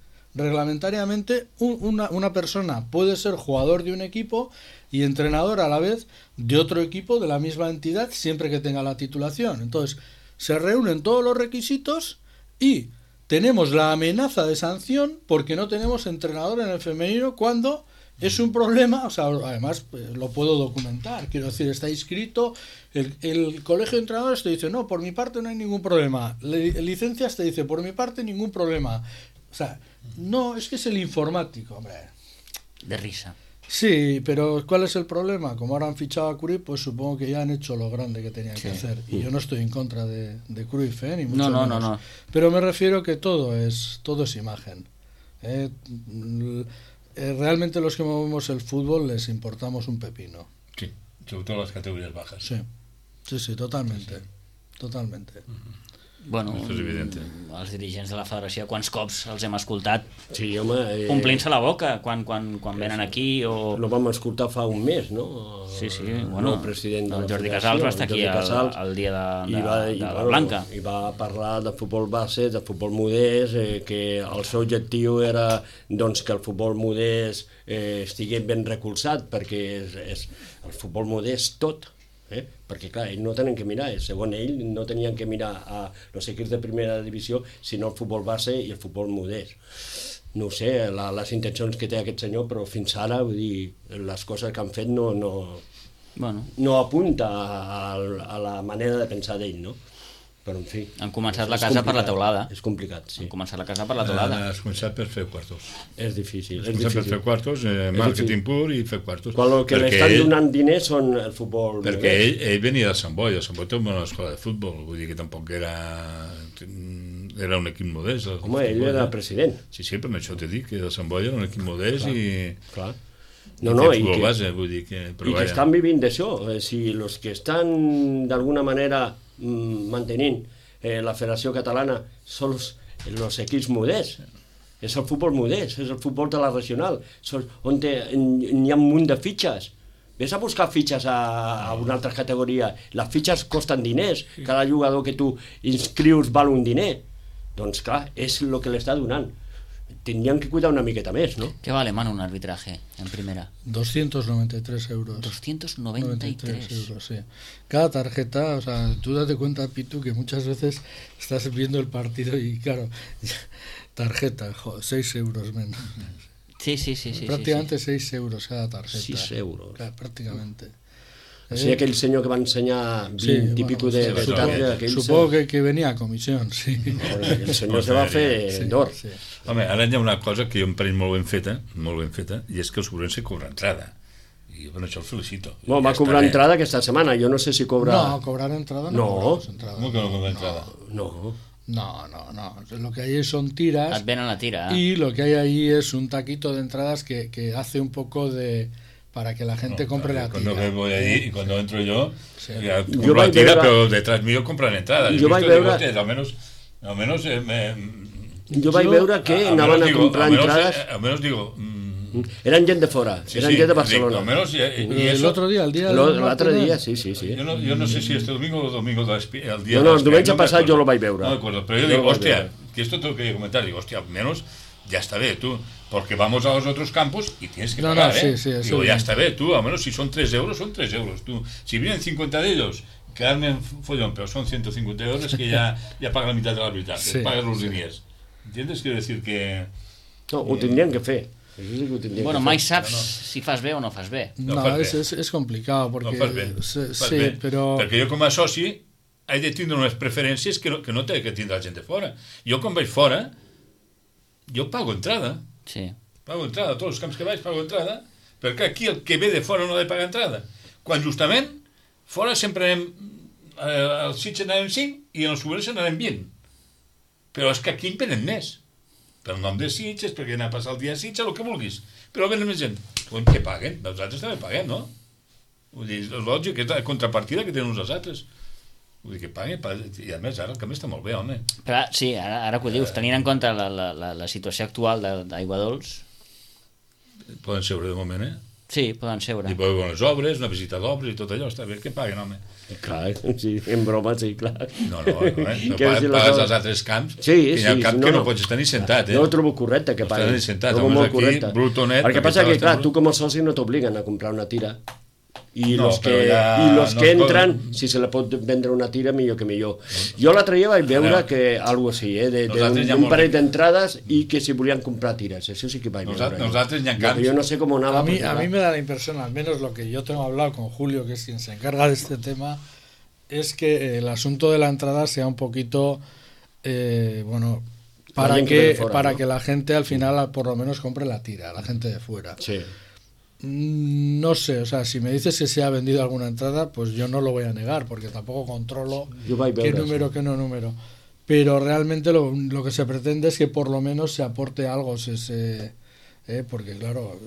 E: una persona puede ser jugador de un equipo y entrenador a la vez de otro equipo de la misma entidad, siempre que tenga la titulación. Entonces, se reúnen todos los requisitos y tenemos la amenaza de sanción porque no tenemos entrenador en el femenino, cuando es un problema. O sea, además lo puedo documentar, quiero decir, está inscrito, el colegio de entrenadores te dice, no, por mi parte no hay ningún problema, licencias te dice, por mi parte ningún problema. O sea, no, es que es el informático, hombre.
B: De risa.
E: Sí, pero ¿cuál es el problema? Como ahora han fichado a Cruyff, pues supongo que ya han hecho lo grande que tenían que hacer. Y yo no estoy en contra de Cruyff, ni mucho menos. No. Pero me refiero que todo es imagen. Realmente los que movemos el fútbol les importamos un pepino.
D: Sí, sobre todo las categorías bajas.
E: Sí, totalmente. Totalmente.
B: Bueno,
D: això és evident.
B: Els dirigents de la federació, quants cops els hem escoltat
C: omplint-se
B: la boca quan venen aquí o...
C: Lo vam escoltar fa un mes, no?
B: Sí, bueno,
C: el president de la
B: Jordi
C: federació,
B: Casals va estar aquí el dia de la Blanca.
C: I va parlar de futbol base, de futbol modest, que el seu objectiu era doncs, que el futbol modest estigués ben recolzat, perquè el futbol modest tot. Perquè clar, ells no tenen que mirar, segons ell no tenien que mirar a els equips de primera divisió, sinó el futbol base i el futbol modest. No ho sé, les intencions que té aquest senyor, però fins ara, vull dir, les coses que han fet no apunta a la manera de pensar d'ell, no? Però en fi...
B: Han començat la casa per la teulada.
C: És complicat, sí.
B: Han començat la casa per la teulada.
D: Has començat per fer quartos.
C: És difícil.
D: Has començat per fer quartos, màrqueting pur i fer quartos.
C: Quan el que l'estan donant diners són el futbol...
D: Perquè ell venia de Sant Boi. El Sant Boi té una escola de futbol, vull dir que tampoc era un equip modest.
C: Home, ell era president.
D: Sí, però això t'he dit, que el Sant Boi era un equip modest i...
C: Clar.
D: I que
C: estan vivint d'això. Si els que estan d'alguna manera mantenint la Federació Catalana són els equips modests, és el futbol modest, és el futbol de la regional, on hi ha un munt de fitxes. Ves a buscar fitxes a una altra categoria, les fitxes costen diners, cada jugador que tu inscrius val un diner. Doncs clar, és el que l'està donant. Tendrían que cuidar una miqueta més, ¿no?
B: ¿Qué vale, Manu, un arbitraje en primera?
E: 293 euros.
B: 293
E: euros, sí. Cada tarjeta, o sea, tú date cuenta, Pitu, que muchas veces estás viendo el partido y, claro, tarjeta, 6 euros menos.
B: Sí.
E: Prácticamente 6 euros cada tarjeta.
C: 6 euros.
E: Claro, prácticamente.
C: O sigui, aquell senyor que va ensenyar 20 i pico de targetes...
E: Supongo que venía a comisión, sí.
C: El senyor se va fer d'or.
D: Home, ara hi ha una cosa que jo em pareix molt ben feta, i és que el Sobrense cobra entrada. I bueno, això el felicito.
C: Bueno, va cobrar entrada aquesta setmana, jo no sé si cobra...
E: No, cobrar entrada no.
D: ¿Cómo que no cobra entrada?
C: No.
E: Lo que hay son tiras.
B: Et venen la tira.
E: Y lo que hay ahí es un taquito de entradas que hace un poco de... para que la gente compre la tira.
D: Cuando voy allí y cuando entro yo compro la tira, pero detrás mío compran entradas.
C: Jo vaig veure...
D: Almenys
C: jo vaig veure que anaven a comprar entrades...
D: Almenys digo...
C: Eren gent de fora, eren gent de Barcelona.
E: El otro día, el día...
C: L'altre dia, sí.
D: Yo no sé si este domingo o domingo el día...
C: No, el diumenge passat jo lo vaig veure.
D: No me acuerdo, pero yo digo, hostia, que esto tengo que comentar, digo, hostia, al menos ya está bien, tú, porque vamos a los otros campos y tienes que
E: No,
D: pagar,
E: no, sí, sí, eso
D: Digo, ya
E: bien.
D: está bien, tú, al menos si son 3 euros, son 3 euros, tú. Si vienen 50 de ellos, quedarme en follón, pero son 150 euros que ya pagan la mitad de la mitad,
E: Sí,
D: pagan los
E: sí.
D: diners. ¿Entiendes? Quiero decir que...
C: No, ho tindrien que fer. Això sí que ho tindrien
B: Bueno,
C: que
B: mai
C: fer.
B: saps si fas bé o no fas bé.
D: No
E: No,
D: fas bé.
E: es complicado porque...
D: No fas bé, fas
E: sí,
D: bé.
E: pero...
D: Perquè jo com a soci he de tindre unes preferències que no té que tindre la gent de fora. Jo quan vaig fora, jo pago entrada.
B: Sí.
D: Pago entrada, a tots els camps que vaig pago entrada, perquè aquí el que ve de fora no ha de pagar entrada. Quan justament, fora sempre anem, al Sitges anàvem 5 i en el Sobrense anàvem 20. Però és que aquí en venen més. Pel nom de Sitges, perquè anar a passar el dia a Sitges, el que vulguis. Però venen més gent. Doncs que paguen, nosaltres també paguem, no? Vull dir, és lògic, és la contrapartida que tenen uns als altres. Vull dir que paguen, i a més ara el camí està molt bé, home.
B: Però sí, ara que ho dius, tenint en compte la situació actual d'Aigua Dols,
D: Poden seure de moment,
B: sí, poden seure.
D: I veure les obres, una visita d'obres i tot allò, està bé, que paguen, home.
C: Clar, sí, en broma, sí, clar.
D: No, no
C: Què
D: pagues
C: dir les
D: als
C: obres?
D: altres camps,
C: Sí,
D: i en el
C: sí,
D: camp
C: no,
D: que no
C: no.
D: pots estar ni sentat,
C: No ho trobo correcte que
D: No
C: paguin.
D: estàs ni sentat,
C: Trobo
D: home,
C: molt
D: aquí,
C: correcte.
D: brutonet,
C: El que
D: perquè
C: passa que,
D: estàs
C: clar,
D: tan-
C: tu com a soci no t'obliguen a comprar una tira. I
D: No,
C: los que,
D: però ja
C: i los
D: no
C: que
D: es poden-
C: entren, si se la pot vendre una tira, millor que millor. Jo l'altre dia vaig veure
D: Ara,
C: que algo així,
D: nosaltres ja
C: d'un
D: molt
C: parell
D: ric.
C: d'entrades i que si volien comprar tires. Això sí que vaig veure.
D: Nosaltres ja en
C: Lo que
D: camps...
C: yo no sé cómo nada.
E: A mí,
C: porque,
E: a mí
C: claro,
E: me da la impresión, al menos lo que yo tengo hablado con Julio, que es quien se encarga de este tema, es que el asunto de la entrada sea un poquito, bueno, para
C: Alguien que viene
E: que,
C: fuera,
E: para
C: ¿no?
E: que la gente al final por lo menos compre la tira, la gente de fuera.
C: Sí.
E: No sé, o sea, si me dices que se ha vendido alguna entrada, pues yo no lo voy a negar, porque tampoco controlo
C: Yo vaig
E: qué
C: veure
E: número,
C: això.
E: qué no número. Pero realmente lo que se pretende es que por lo menos se aporte algo, porque claro,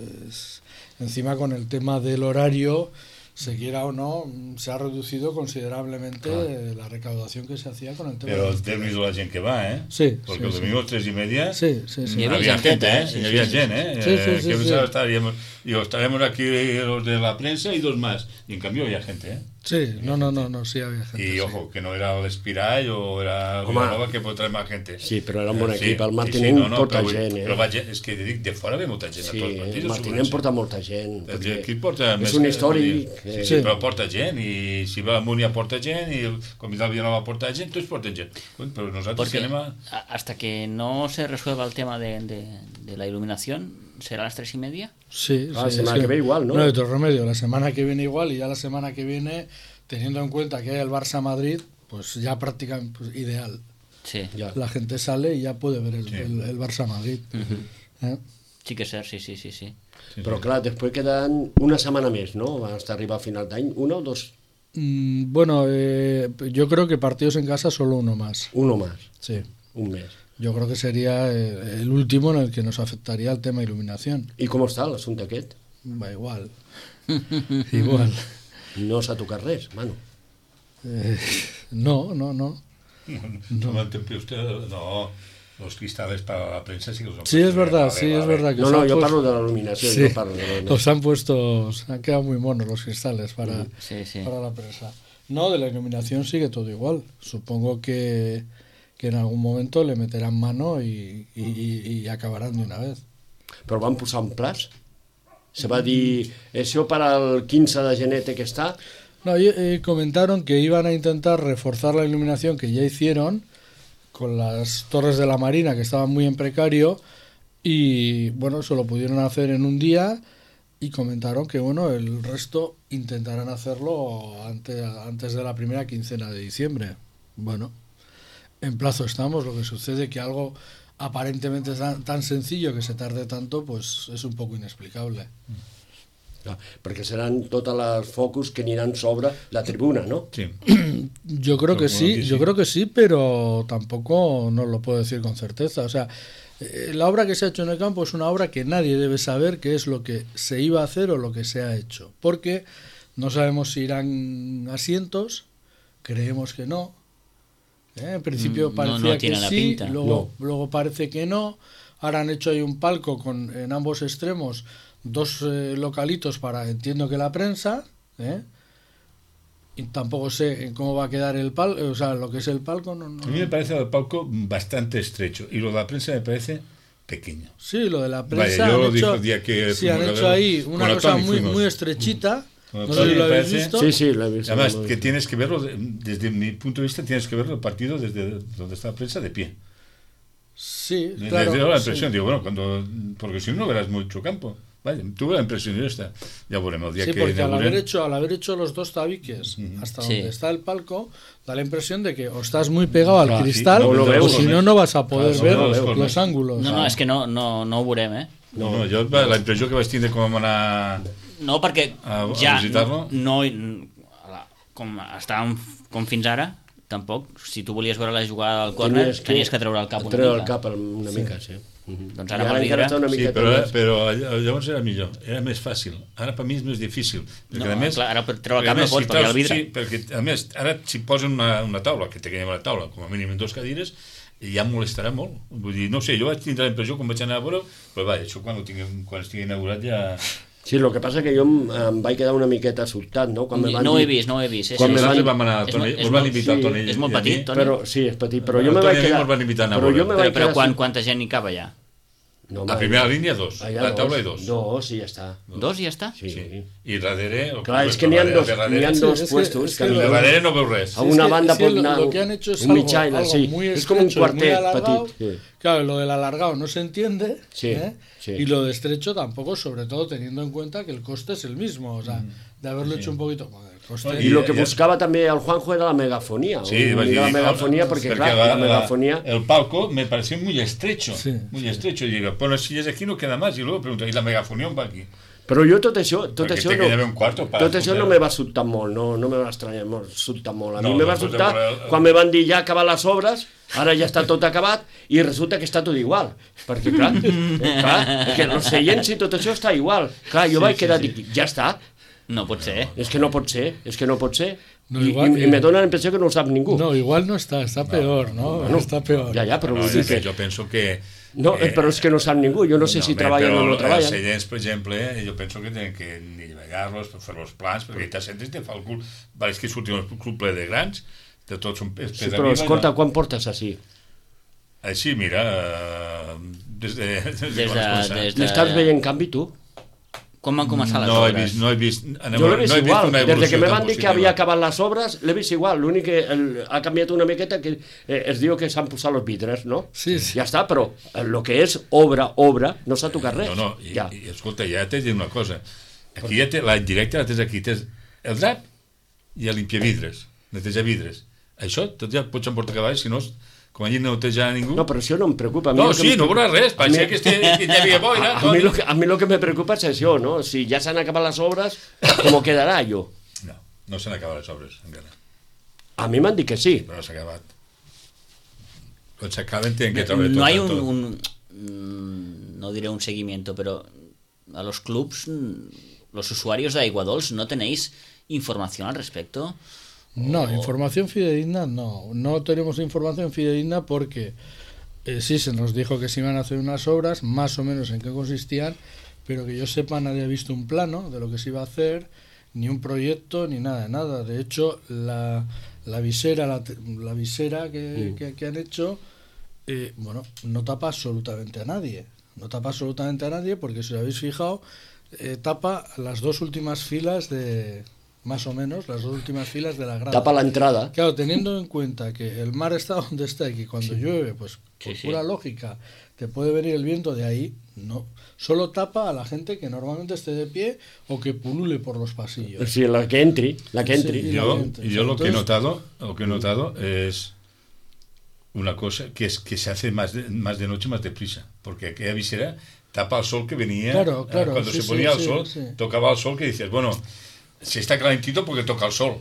E: encima con el tema del horario, se quiera o no, se ha reducido considerablemente la recaudación que se hacía con el tema.
D: Però
E: de-
D: déu-n'hi-do la gent que va,
E: Sí,
D: Porque
E: sí,
D: el
E: sí.
D: domingo a les 3:30
E: Sí, sí, sí.
B: Hi havia
D: había gente,
B: genteta,
D: y había gente,
E: Sí, sí, sí,
D: que
E: sí.
D: pensaba estaremos aquí los de la prensa y dos más. Y en cambio había gente,
E: Sí, no, sí había gente.
D: Y
E: sí.
D: ojo, que no era l'Espirall o era
C: Home.
D: Vilanova que pot traer más gente.
C: Sí, però era un bon
D: Sí,
C: equip. El
D: sí,
C: Martinent
D: no,
C: porta
D: però vull-
C: gent,
D: Però va gent, és que dic, de fora ve molta gent
C: Sí,
D: a tots els partits.
C: el
D: del
C: Martinent
D: Sobrense.
C: porta molta gent.
D: El
C: perquè
D: equip porta
C: és
D: més
C: un
D: que-
C: històric.
D: Sí,
E: Sí.
D: però porta gent, i si va a Múnia porta gent, i el Comitè Vilanova porta gent, tots porten gent. Però nosaltres
B: Porque
D: que anem a...
B: hasta que no se resuelva el tema de la iluminación, ¿será a las 3:30?
E: Sí,
C: La
E: sí,
C: semana
E: sí.
C: que viene igual, ¿no?
E: No hay otro remedio. La semana que viene igual, y ya la semana que viene, teniendo en cuenta que hay el Barça-Madrid, pues ya prácticamente ideal.
B: Sí.
C: Ja.
E: La gente sale y ya puede ver el,
D: Sí.
E: el Barça-Madrid. ¿Eh?
B: Sí que és cert, sí.
C: Però clar, després queden una setmana més, no? Hasta arribar a final d'any. Una o dos?
E: Bueno, yo creo que partidos en casa solo uno más.
C: Uno más.
E: Sí.
C: Un mes.
E: Yo creo que sería el último en el que nos afectaría el tema iluminación.
C: I com està l'assumpte aquest?
E: Va igual. Igual.
C: No s'ha tocat res, mano.
E: No.
D: No m'entén usted, no, los cristales para la prensa sí que los han
E: Sí,
D: puesto
E: es verdad,
D: bien,
E: sí, es verdad. Que
C: No,
E: os
C: no,
E: han
C: jo
E: puesto-
C: parlo de la il·luminació,
E: Sí,
C: jo parlo de la il·luminació.
E: los han puesto, se han quedado muy monos los cristales para,
B: Sí.
E: para la prensa. No, de la iluminación sigue todo igual. Supongo que en algún momento le meterán mano y acabarán de una vez.
C: Però van posar un plaç? Se va dir, això per al 15 de gener té que estar?
E: No, comentaron que iban a intentar reforzar la iluminación que ya hicieron con las torres de la Marina, que estaban muy en precario, y bueno, eso lo pudieron hacer en un día, y comentaron que bueno, el resto intentarán hacerlo antes de la primera quincena de diciembre. Bueno, en plazo estamos. Lo que sucede que algo aparentemente tan sencillo que se tarde tanto, pues es un poco inexplicable.
C: Clar, perquè seran totes les focus que aniran sobre la tribuna, no?
D: Sí.
E: Yo creo que
D: Supongo
E: sí,
D: que
E: yo
D: sí.
E: creo que sí, pero tampoco no lo puedo decir con certeza. O sea, la obra que se ha hecho en el campo es una obra que nadie debe saber qué es lo que se iba a hacer o lo que se ha hecho, porque no sabemos si irán asientos, creemos que no. En principio
B: No
E: parecía que
B: tiene la
E: sí,
B: pinta.
E: luego parece que no. Ahora han hecho ahí un palco en ambos extremos, dos localitos para, entiendo que la prensa, y tampoco sé cómo va a quedar el palco, o sea, lo que es el palco. No.
D: A mí me parece el palco bastante estrecho y lo de la prensa me parece pequeño.
E: Sí, lo de la prensa.
D: Vaya, yo lo
E: han
D: dije
E: hecho,
D: el día que
E: sí, han
D: fuimos a
E: hecho
D: ver,
E: ahí
D: con
E: una cosa
D: Tony
E: muy,
D: fuimos.
E: muy estrechita.
D: Con
E: No sé si
D: Tony,
E: lo habéis
D: parece.
E: visto.
C: Sí, sí, lo he visto.
D: Además, que tienes que verlo, desde mi punto de vista, tienes que verlo el partido desde donde está la prensa de pie.
E: Sí,
D: Me
E: claro.
D: dio la
E: sí.
D: impresión, digo, bueno, porque si no, no verás mucho campo. Vaya, tuve la impresión de esta. Ya veremos el día
E: Sí,
D: que
E: porque al
D: inauguren.
E: haber hecho los dos tabiques hasta
B: Sí.
E: donde está el palco, da la impresión de que o estás muy pegado al
C: Clar,
E: cristal
D: sí, no lo
E: o
D: veus,
E: si no, no vas a poder
D: Clar,
E: ver
D: no lo veus,
E: los ángulos.
B: No, és que no ho veurem, eh?
D: No, jo la impressió que vaig tindre com vam anar...
B: No, perquè
D: A
B: ja
D: visitar-lo?
B: com estàvem com fins ara, tampoc, si tu volies veure la jugada del córner, tenies que treure el cap una
C: treure
B: mica.
C: el cap una mica, sí.
B: Doncs
C: I
B: ara
C: ara
B: per
C: encara
B: vidre...
C: està una
D: Sí,
C: miqueta
D: però
C: més.
D: llavors era millor, era més fàcil. Ara per mi és més difícil. Perquè,
B: No,
D: a més,
B: clar, ara per treure el
D: perquè,
B: cap
D: a
B: no
D: més,
B: pots,
D: si
B: perquè hi ha el
D: treus-
B: vidre.
D: Sí, perquè a més, ara si posen una taula, que tenim una taula, com a mínim en 2 cadires, ja em molestarà molt. Vull dir, no sé, jo vaig tindre la impressió quan vaig anar a veure, però va, això quan estigui inaugurat ja...
C: Sí, el que passa que jo em vaig quedar una miqueta sobtat, no? Quan me van
B: No ho he
C: dir...
B: vist, no ho he vist.
C: Quan me
D: Nosaltres
C: van-
D: vam anar al Toni, us van invitar al Toni.
B: És molt
D: i a mi.
B: petit, Toni.
C: Però, sí, és petit, però jo
D: El
C: me
D: Toni
C: vaig
D: i a mi
C: quedar...
D: mos van invitar a anar a
C: Però
D: veure.
C: jo me vaig
B: Però
C: quedar...
B: quanta gent hi cap allà?
C: No,
D: A primera línia 2,
C: allà
D: la taula i 2.
C: Dos, i ja està.
B: 2 i ja està?
C: Sí.
D: Sí. I darrere...
C: Clar, és que n'hi ha dos
E: Sí,
C: puestos.
E: és
C: que
E: que
D: De darrere no veu res.
C: A una banda pot
E: lo
C: anar
E: que han hecho es
C: un
E: algo,
C: mitjana,
E: algo
C: sí.
E: muy
C: Es como un
E: estrecho y muy
C: cuartet
E: alargado.
C: petit. Sí.
E: Claro, lo del alargado no se entiende.
C: Sí, sí.
E: Y lo de estrecho tampoco, sobre todo teniendo en cuenta que el coste es el mismo. O sea, de haberlo hecho un poquito... Bueno, el coste...
C: I el que
D: Ja.
C: buscava també el Juanjo era la megafonía.
D: Sí, vaig dir,
C: la megafonía porque, claro, la megafonía...
D: el palco me pareció muy estrecho,
E: Sí,
D: muy estrecho. Y digo, bueno, si es aquí no queda más. Y luego pregunto, ¿y la megafonía on va aquí?
C: Però jo tot això
D: Perquè
C: no,
D: té que haver un quarto per
C: tot això
D: escoltar.
C: no me va sobtar molt, no me va estranyar molt, sobtar molt. A
D: No,
C: mi me va
D: després de
C: sobtar
D: veure
C: quan me van dir ja acabar les obres, ara ja està tot acabat i resulta que està tot igual. Perquè clar, és que els seients i tot això està igual. Clar, jo vaig quedar, dic, ja està,
B: No pot ser.
C: és que no pot ser, és que no pot ser.
E: No,
C: I
E: igual-
C: me dona la impressió que no ho sap ningú.
E: No, igual no está, está peor, ¿no?
C: Bueno,
E: Está peor.
C: Ja, però
D: No,
C: vull dir
D: és que
C: que...
D: jo penso que...
C: No, però és que no sap ningú, jo no sé si
D: home,
C: treballen
D: però
C: o no
D: Els
C: treballen.
D: seients, per exemple, jo penso que tenen que nivellar-los, fer els plans, perquè t'has sentit te fa el cul... Pareix que sortim un club ple de grans, de tots són pes
C: Sí, però escolta, quan portes així?
D: Així, mira, des de
B: Des de-
C: N'estàs veient canvi, tu?
B: Quan van començar les
D: No he
B: obres?
D: vist, no he vist,
C: Jo l'he vist igual,
D: una
C: des de que
D: evolució
C: me
D: tan
C: van dir que
D: positiva.
C: havia acabat les obres, l'he vist igual, l'únic que ha canviat una miqueta que es diu que s'han posat els vidres, no?
E: Sí, sí.
C: Ja està, però el que és obra, no s'ha tocat res.
D: No, no,
C: ja.
D: i escolta, ja t'he dit una cosa. Aquí ja té, la indirecta la tens aquí, tens el drap i el limpiavidres, netejar vidres. Això tot ja pots emportar cavall, si no, com allí no neteja ningú...
C: No, però això no em preocupa. A mi
D: No,
C: el que
D: sí,
C: em
D: no veuràs res,
C: a mi-
D: pareixia que hi havia boira.
C: A mi lo que me preocupa és això, no? Si ja s'han acabat les obres, com quedarà jo?
D: No, no s'han acabat les obres, encara.
C: A mi m'han dit que sí.
D: Però no s'ha acabat. Quan s'acaben tenen que treure tot.
B: No hay
D: tot.
B: no diré un seguimiento, pero a los clubs, los usuarios de Aigua Dols, ¿no tenéis información al respecto?
E: No, información fidedigna no. No tenemos información fidedigna porque sí se nos dijo que se iban a hacer unas obras, más o menos en qué consistían, pero que yo sepa nadie ha visto un plano de lo que se iba a hacer, ni un proyecto, ni nada, nada. De hecho, la visera que han hecho, bueno, no tapa absolutamente a nadie. No tapa absolutamente a nadie porque, si os habéis fijado, tapa las dos últimas filas de... Más o menos, las dos últimas filas de la grada.
C: Tapa la entrada.
E: Claro, teniendo en cuenta que el mar está donde está y que cuando llueve, pues por pura lógica, te puede venir el viento de ahí, no. Solo tapa a la gente que normalmente esté de pie o que pulule por los pasillos.
C: Sí, la que entri, la que entri.
E: Sí.
D: Yo lo que he
E: Entonces-
D: notado es una cosa que es que se hace más de noche, más deprisa, porque aquella visera tapa el sol que venía.
E: Claro, claro,
D: cuando
E: sí,
D: se ponía
E: sí,
D: el sol,
E: sí.
D: tocaba el sol, que dices, bueno, si está calentito porque toca el sol.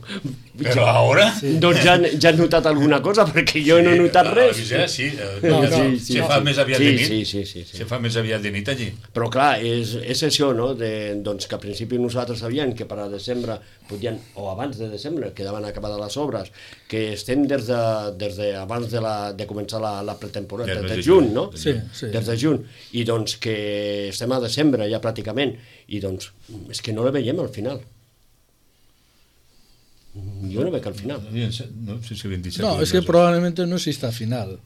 D: Pero ahora...
C: Doncs ja has notat alguna cosa, perquè jo no he notat
D: La
C: res.
D: visera sí,
E: No, no,
D: se fa més aviat de nit.
C: Sí.
D: Se fa més aviat de nit allí.
C: Però clar, és això, no? Doncs que al principi nosaltres sabíem que per a desembre podien, o abans de desembre, quedaven acabades les obres, que estem des de abans de començar la pretemporada,
D: Ja,
C: des de
D: des de
C: juny,
D: juny.
C: no?
E: Sí, sí.
C: Des de juny. I doncs que estem a desembre ja pràcticament, i doncs és que no la veiem al final. Jo no veig al final.
D: No sé si 27.
E: No, es que probablemente no exista final.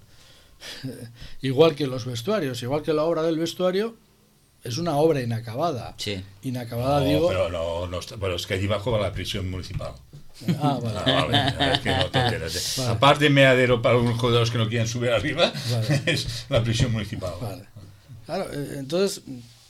E: igual que los vestuarios, igual que la obra del vestuario, es una obra inacabada.
B: Sí.
E: Inacabada,
D: No,
E: digo...
D: pero es que allí abajo va la prisión municipal.
E: Ah, vale.
D: Vale, es que no te enteras.
E: Vale.
D: Aparte de meadero para algunos jugadores que no quieran subir arriba,
E: Vale.
D: es la prisión municipal.
E: Vale. Claro, entonces,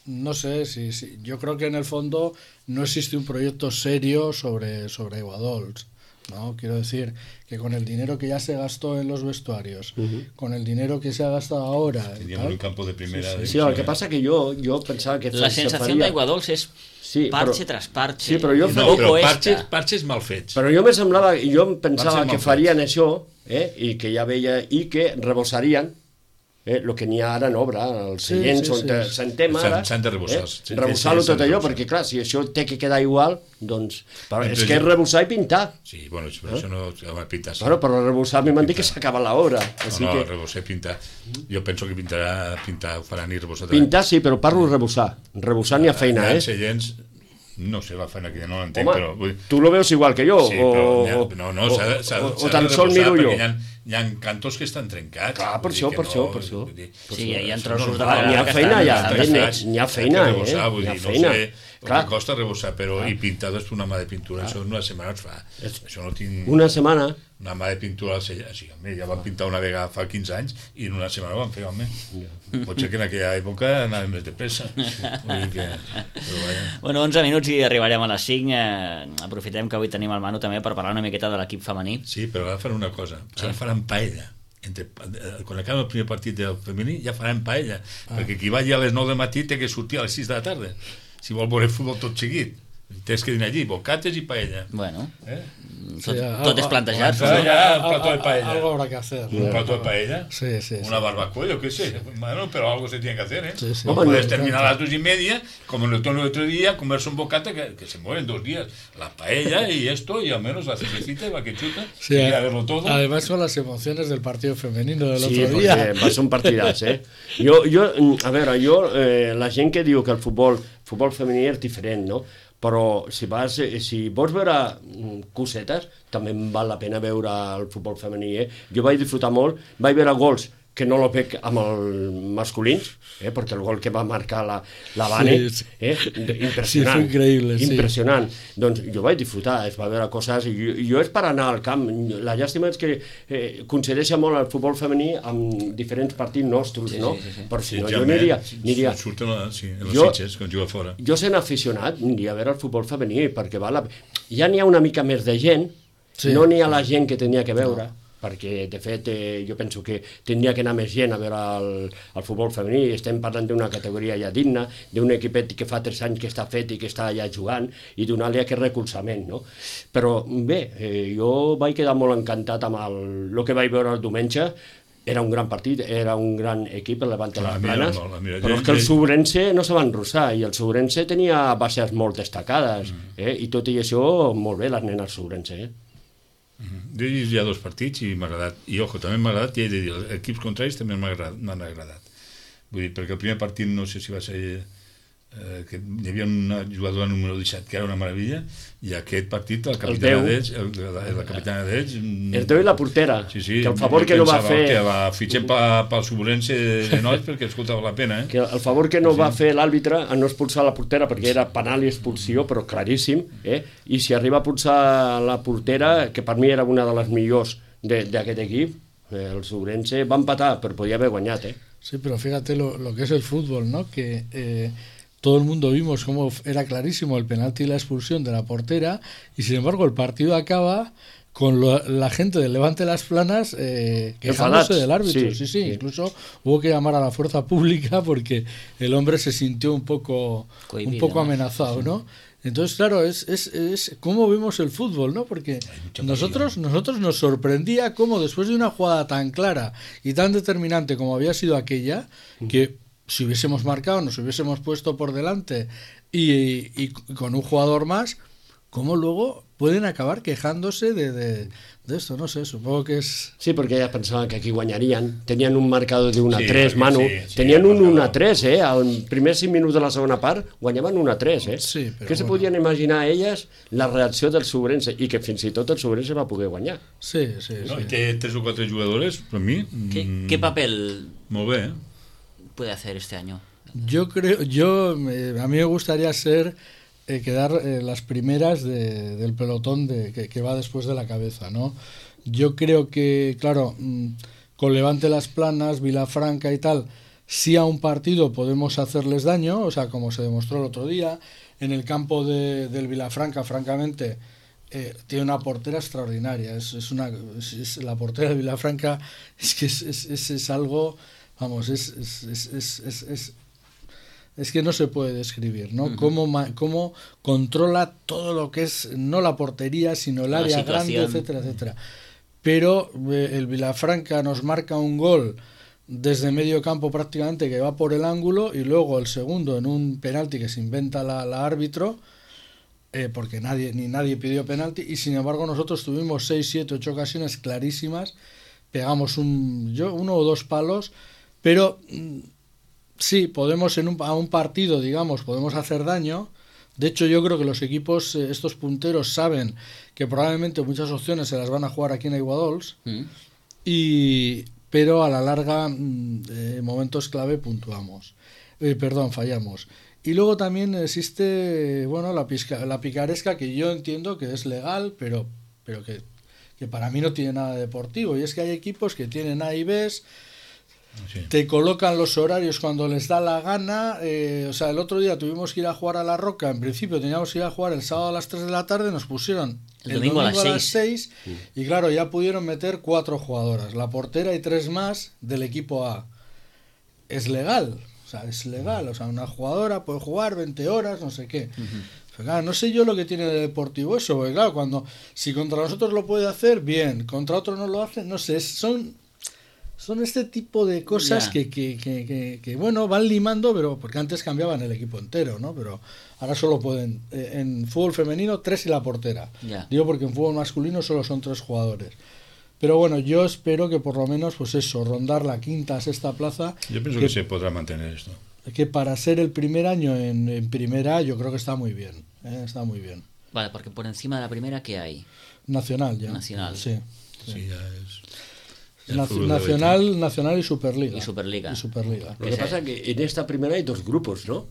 E: no sé, si yo creo que en el fondo no existe un proyecto serio sobre Aiguadols, ¿no? Quiero decir que con el dinero que ya se gastó en los vestuarios, con el dinero que se ha gastado ahora...
D: Teníamos un campo de primera...
C: Sí, el que pasa que yo pensaba que...
B: La
C: se
B: sensació
C: faria-
B: d'Aiguadols és
C: Sí,
B: parche
C: però-
B: tras parche.
C: Sí, però jo
D: No,
C: faria-
D: però
B: Poco
D: parches mal fets.
C: Però jo me semblava, jo em pensava
D: Van ser
C: que
D: mal
C: farien això, i que ja veia, i que rebossarien el que n'hi ha ara en obra, els
E: Sí,
C: seients
E: sí,
C: on
E: sí.
C: sentem ara,
D: S'han de rebossar, sí,
C: rebossar-lo
D: s'han
C: tot
D: de
C: allò,
D: rebossar.
C: perquè clar, si això té que quedar igual, doncs, però
D: Mentre
C: és que és
D: jo-
C: rebossar i pintar.
D: Sí, bueno, però això no... Home, pintar, sí.
C: Bueno, però rebossar a mi m'han dit que s'acaba l'obra, així
D: No,
C: que...
D: rebossar i pintar. Jo penso que pintar ho faran i rebossar.
C: Pintar sí, però parlo de rebossar. Rebossar n'hi ha feina,
D: Hi ha seients, no sé la feina que ja no l'entenc,
C: Home,
D: però... Vull...
C: tu lo veus igual que jo,
D: Sí, però
C: o tan sol miro jo.
D: Hi ha cantos que estan trencats.
C: Clar, per
D: vull dir
C: això,
D: que
C: per
D: no,
C: això, per això.
D: vull dir,
B: Sí, hi ha
D: això
B: trossos
D: no-
B: de
C: N'hi ha
B: que
C: feina,
B: estan
C: n'hi ha feina,
D: Hay que rebossar, vull
C: n'hi ha
D: dir,
C: feina.
D: no sé,
C: Clar.
D: el que costa rebossar, però i pintar després una mà de pintura, això en una setmana es fa. Això no tinc...
C: Una setmana...
D: Una mà de pintura al celler, sí, home, ja van pintar una vegada fa 15 anys i en una setmana ho van fer, home. Pot ser que en aquella època anàvem més de pressa. Vull dir que... Però vaja.
B: Bueno, 11 minuts i arribarem a les 5. Aprofitem que avui tenim el Manu també per parlar una miqueta de l'equip femení.
D: Sí, però ara faran una cosa, ara faran paella. Quan acaba el primer partit del femení ja faran paella, perquè qui vagi a les 9 del matí té que sortir a les 6 de la tarda si vol veure futbol tot seguit. Tens que dinar allí, bocates i paella.
B: Bueno,
E: Sí,
B: tot és plantejar-se.
D: Començar
B: No?
D: ja un plató de paella.
E: Algo habrá que hacer.
D: Un plato de paella,
E: Sí, sí, sí.
D: una barbacoa, yo qué sé. Bueno, pero algo se tiene que hacer, ¿eh?
E: Sí, sí.
D: No
C: Hombre,
D: puedes
C: no,
D: terminar a las 2:30, como en el otro día, comerse un bocata que se mueren 2 días. La paella y esto, y al menos la cervecita y la quechuta,
E: Sí,
D: y a verlo todo.
E: además con las emociones del partido femenino del
C: Sí,
E: otro día.
C: perquè va ser un partidàs, a veure, la gent que diu que el futbol femení és diferent, no? Però si vols veure cosetes, també em val la pena veure el futbol femení, Jo vaig disfrutar molt, vaig veure gols que no lo veig amb els masculins, perquè el gol que va marcar la Vane,
E: Sí,
C: impressionant.
E: Sí, fue increíble, sí.
C: Impressionant. Doncs jo vaig disfrutar, es va veure coses, i jo és per anar al camp. La llàstima és que coincideix molt el futbol femení amb diferents partits nostres, no? Però si no, jo aniria...
D: Surten en els
C: Jo-
D: Sitges, quan juga fora.
C: Jo sent aficionat, aniria a veure el futbol femení, perquè ja n'hi ha una mica més de gent,
E: Sí.
C: no n'hi ha la gent que tenia que veure, perquè de fet jo penso que tindria que anar més gent a veure el futbol femení. Estem parlant d'una categoria ja digna, d'un equipet que fa 3 anys que està fet i que està ja jugant, i donar-li aquest recolzament, no? Però bé, jo vaig quedar molt encantat amb el que vaig veure el diumenge. Era un gran partit, era un gran equip, el Levante les Planes, però és que el Subrense no se va enrossar, i el Subrense tenia bases molt destacades, i tot i això, molt bé les nenes Subrense,
D: Jo he vist ja 2 partits i m'ha agradat. I, ojo, també m'ha agradat, i he de dir, els equips contraris també m'han agradat. Vull dir, perquè el primer partit no sé si va ser que hi havia una jugadora número 17 que era una meravella, i aquest partit la capitana d'ells, la capitana d'ells...
C: El teu i la portera,
D: Sí, sí,
C: que el favor que no va fer...
D: Que va fitxar pel Subrense de nois perquè escoltava la pena,
C: Que el favor que no va fer l'àrbitre a no expulsar la portera, perquè era penal i expulsió, però claríssim, i si arriba a expulsar la portera, que per mi era una de les millors d'aquest equip, el Subrense va empatar, però podia haver guanyat,
E: Sí, pero fíjate lo que es el fútbol, ¿no? Que todo el mundo vimos cómo era clarísimo el penalti y la expulsión de la portera, y sin embargo el partido acaba con la gente del Levante Las Planas quejándose
C: Enfadados.
E: del árbitro.
C: Sí,
E: Sí, incluso hubo que llamar a la fuerza pública porque el hombre se sintió un poco
B: Cohibido, ¿no?
E: amenazado, ¿no? Entonces, claro, es cómo vemos el fútbol, ¿no? Porque nosotros nos sorprendía cómo después de una jugada tan clara y tan determinante como había sido aquella, que si hubiésemos marcado, nos hubiésemos puesto por delante y con un jugador más, cómo luego pueden acabar quejándose de esto, no sé, supongo que es...
C: Sí, porque ellas pensaban que aquí guanyarían. Tenien un marcador de 1-3,
D: Sí,
C: Manu.
D: sí,
C: Tenien un
D: marcador.
C: 1-3, Al primer 5 minuts de la segona part guanyaven 1-3,
E: Sí, però
C: Què se
E: bueno.
C: podien imaginar elles la reacció del Sobrense i que fins i tot el Sobrense va poder guanyar.
E: Sí, sí,
D: No,
E: sí.
D: té 3 o 4 jugadores, per mi...
B: ¿Qué papel
D: Molt bé,
B: puede hacer este año?
E: Yo creo, a mí me gustaría quedar las primeras del pelotón que va después de la cabeza, ¿no? Yo creo que, claro, con Levante Las Planas, Vilafranca y tal, sí a un partido podemos hacerles daño, o sea, como se demostró el otro día, en el campo del Vilafranca, francamente, tiene una portera extraordinaria, la portera de Vilafranca es que es algo, vamos, es que no se puede describir, ¿no? Cómo controla todo lo que es, no la portería, sino el
B: La
E: área
B: situación.
E: grande, etcétera, etcétera. Pero el Vilafranca nos marca un gol desde medio campo prácticamente que va por el ángulo y luego el segundo en un penalti que se inventa la árbitro, porque nadie pidió penalti, y sin embargo nosotros tuvimos 6, 7, 8 ocasiones clarísimas, pegamos uno o dos palos, pero... Sí, podemos a un partido, digamos, podemos hacer daño. De hecho, yo creo que los equipos, estos punteros, saben que probablemente muchas opciones se las van a jugar aquí en Aiguadols, pero a la larga, en momentos clave, fallamos. Y luego también existe, bueno, la picaresca, que yo entiendo que es legal, pero que para mí no tiene nada deportivo. Y es que hay equipos que tienen A y Bs,
D: sí.
E: te colocan los horarios cuando les da la gana. O sea, el otro día tuvimos que ir a jugar a La Roca. En principio teníamos que ir a jugar el sábado a las 3 de la tarde. Nos pusieron el domingo a las 6. Y claro, ya pudieron meter 4 jugadoras. La portera y 3 más del equipo A. Es legal. O sea, es legal. O sea, una jugadora puede jugar 20 horas, no sé qué. Pero claro, no sé yo lo que tiene de deportivo eso. Porque claro, si contra nosotros lo puede hacer, bien. Contra otro no lo hace, no sé. Son este tipo de cosas que bueno, van limando, pero porque antes cambiaban el equipo entero, ¿no? Pero ahora solo pueden, en fútbol femenino, 3 y la portera. Digo porque en fútbol masculino solo son 3 jugadores. Pero bueno, yo espero que por lo menos, pues eso, rondar la quinta, sexta plaza.
D: Yo pienso que se podrá mantener esto.
E: Que para ser el primer año en primera, yo creo que está muy bien. Está muy bien.
B: Vale, porque por encima de la primera, ¿qué hay?
E: Nacional ya.
B: Nacional.
E: Sí.
D: Sí, ya es...
E: Nacional y Superliga.
B: Y Superliga.
C: Lo que pasa es que en esta primera hay 2 grupos, ¿no?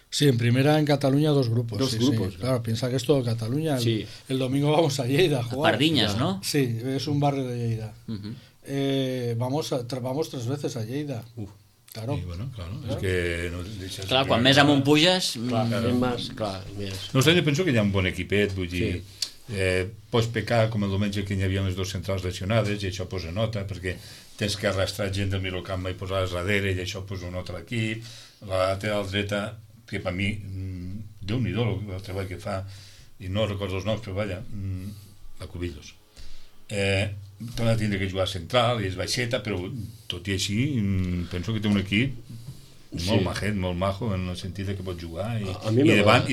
E: Sí, en primera en Cataluña 2 grupos.
C: Dos grupos,
E: sí. Claro, piensa que es todo Cataluña.
C: Sí.
E: El domingo vamos a Lleida a jugar.
B: Pardiñas, ¿no?
E: Sí, es un barrio de Lleida. Vamos 3 veces a Lleida. Claro.
D: Sí, bueno, claro. És que no deixes...
B: Clar, quan més amunt puges...
D: No sé, jo penso que hi ha un bon equipet, vull dir... Pots pecar com el diumenge que hi havia les 2 centrals lesionades i això posa nota perquè tens que arrastrar gent del mirocamp i posar-les darrere i això posa un altre equip. La lateral dreta, que per mi Déu-n'hi-do el treball que fa, i no recordo els noms, però vaja, la Cubillos. Torna a tindre que jugar central i és baixeta, però tot i així penso que té un equip molt majet, molt majo, en el sentit que pot jugar i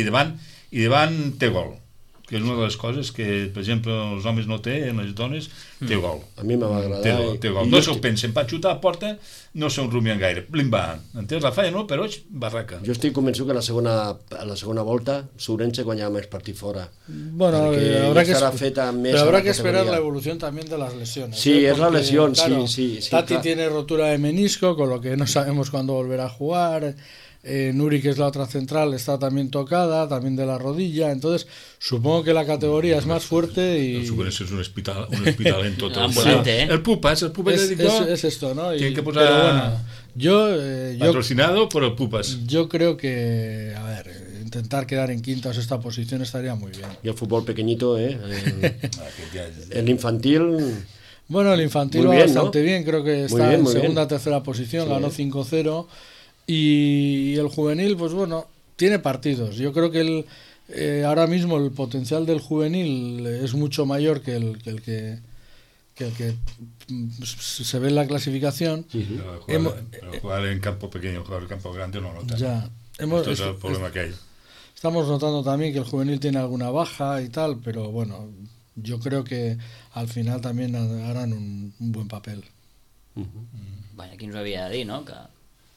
D: davant té gol, que és una de les coses que, per exemple, els homes no té, en les dones té gol.
C: A mi m'ha agradat.
D: Té gol. No se'l pensen, per xutar a porta no se'n rumien gaire. Blim-bam. Entens? La falla no, però barraca.
C: Jo estic convençut que a la segona volta Sourense guanyava més partit fora.
E: Bueno, habrá que esperar la evolución también de las lesiones.
C: Sí, es la lesión,
E: claro,
C: sí.
E: Tati tiene rotura de menisco, con lo que no sabemos cuándo volverá a jugar. Nuri, que es la otra central, está también tocada, también de la rodilla. Entonces, supongo que la categoría es más fuerte y...
D: El Sourense és un hospital en tot.
B: Ambulante,
D: El Pupas
E: es esto, ¿no?
D: Tiene que posar...
E: Pero bueno, yo
D: patrocinado por el Pupas.
E: Yo creo que, a ver, intentar quedar en quinta o sexta posición estaría muy bien.
C: Y el fútbol pequeñito, el infantil...
E: Bueno, el infantil va bastante bien, creo que está en segunda o tercera posición, ganó 5-0. Y el juvenil, pues bueno, tiene partidos. Yo creo que ahora mismo el potencial del juvenil es mucho mayor que el que se ve en la clasificación.
D: Pero jugar en campo pequeño, jugar en campo grande no nota.
E: Ya.
D: Esto es el problema que hay.
E: estamos notando también que el juvenil tiene alguna baja y tal, pero bueno, yo creo que al final también harán un buen papel.
B: Vaja, qui ens ho havia de dir, no? Que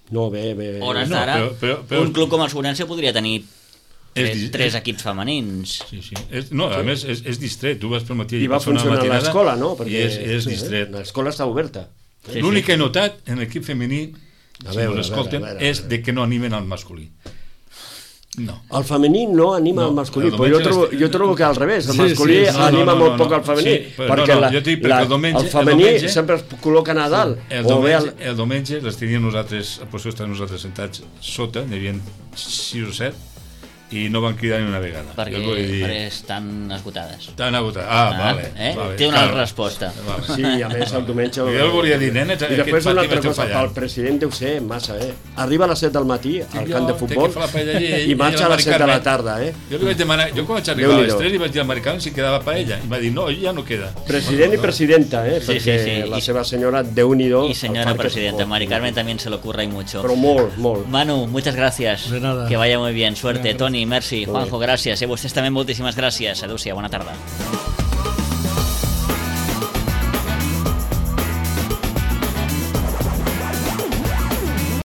C: No, bé.
B: hores
D: No,
B: d'ara,
D: però-
B: un club com el Sobrense podria tenir
D: És-
B: tres equips femenins.
D: Sí, sí. No, a més, és distret. Tu vas pel matí
C: I va
D: passar una
C: funcionar
D: matinada
C: l'escola, no?
D: I és distret.
C: L'escola està oberta.
B: Sí,
D: L'únic
B: sí.
D: que he notat en l'equip femení,
C: A
D: si
C: veure,
D: us escolten,
C: a veure.
D: és de que no animen al masculí. No.
C: El femení no anima
D: No,
C: al masculí,
D: el
C: però
D: diumenge
C: jo trobo que al revés, el
E: Sí,
C: masculí
E: sí, sí.
C: anima
D: No,
C: molt poc al femení,
D: sí, però
C: perquè
D: no, jo dic perquè el diumenge-
C: el femení sempre es col·loquen a dalt,
D: El
C: o bé
D: diumenge les teníem nosaltres, a posició estar nosaltres sentats sota, n'hi havia 6 o 7, i no van cridar ni una vegada.
B: Perquè,
D: Jo vull dir,
B: perquè estan esgotades.
D: T'han agotat. Vale.
B: Té una altra resposta.
D: Vale.
C: Sí, a més el diumenge...
D: Jo el volia dir, nenes,
C: I després
D: aquest
C: una
D: partit
C: altra
D: vaig
C: cosa,
D: fallar.
C: pel president deu ser massa, Arriba a les 7 del matí al camp de
D: té
C: futbol
D: que fer la paella allí,
C: i marxa a les 7 de la tarda,
D: Jo li vaig demanar, jo quan vaig arribar a les
C: Déu-n'hi-do.
D: 3 li vaig dir al americano si quedava paella, i va dir, no, ja no queda.
C: President i presidenta,
B: Sí,
C: perquè
B: sí, sí.
C: la seva senyora, Déu-n'hi-do...
B: Y señora presidenta, Mari Carmen también se lo ocurra y mucho.
C: Però molt, molt.
B: Manu, muchas gracias.
E: De nada.
B: Que vaya muy bien. Suerte.
E: Gracias.
B: Toni, merci. Juanjo, gràcies. Vostès també moltíssimes gràcies. Adéu-siau, bona tarda.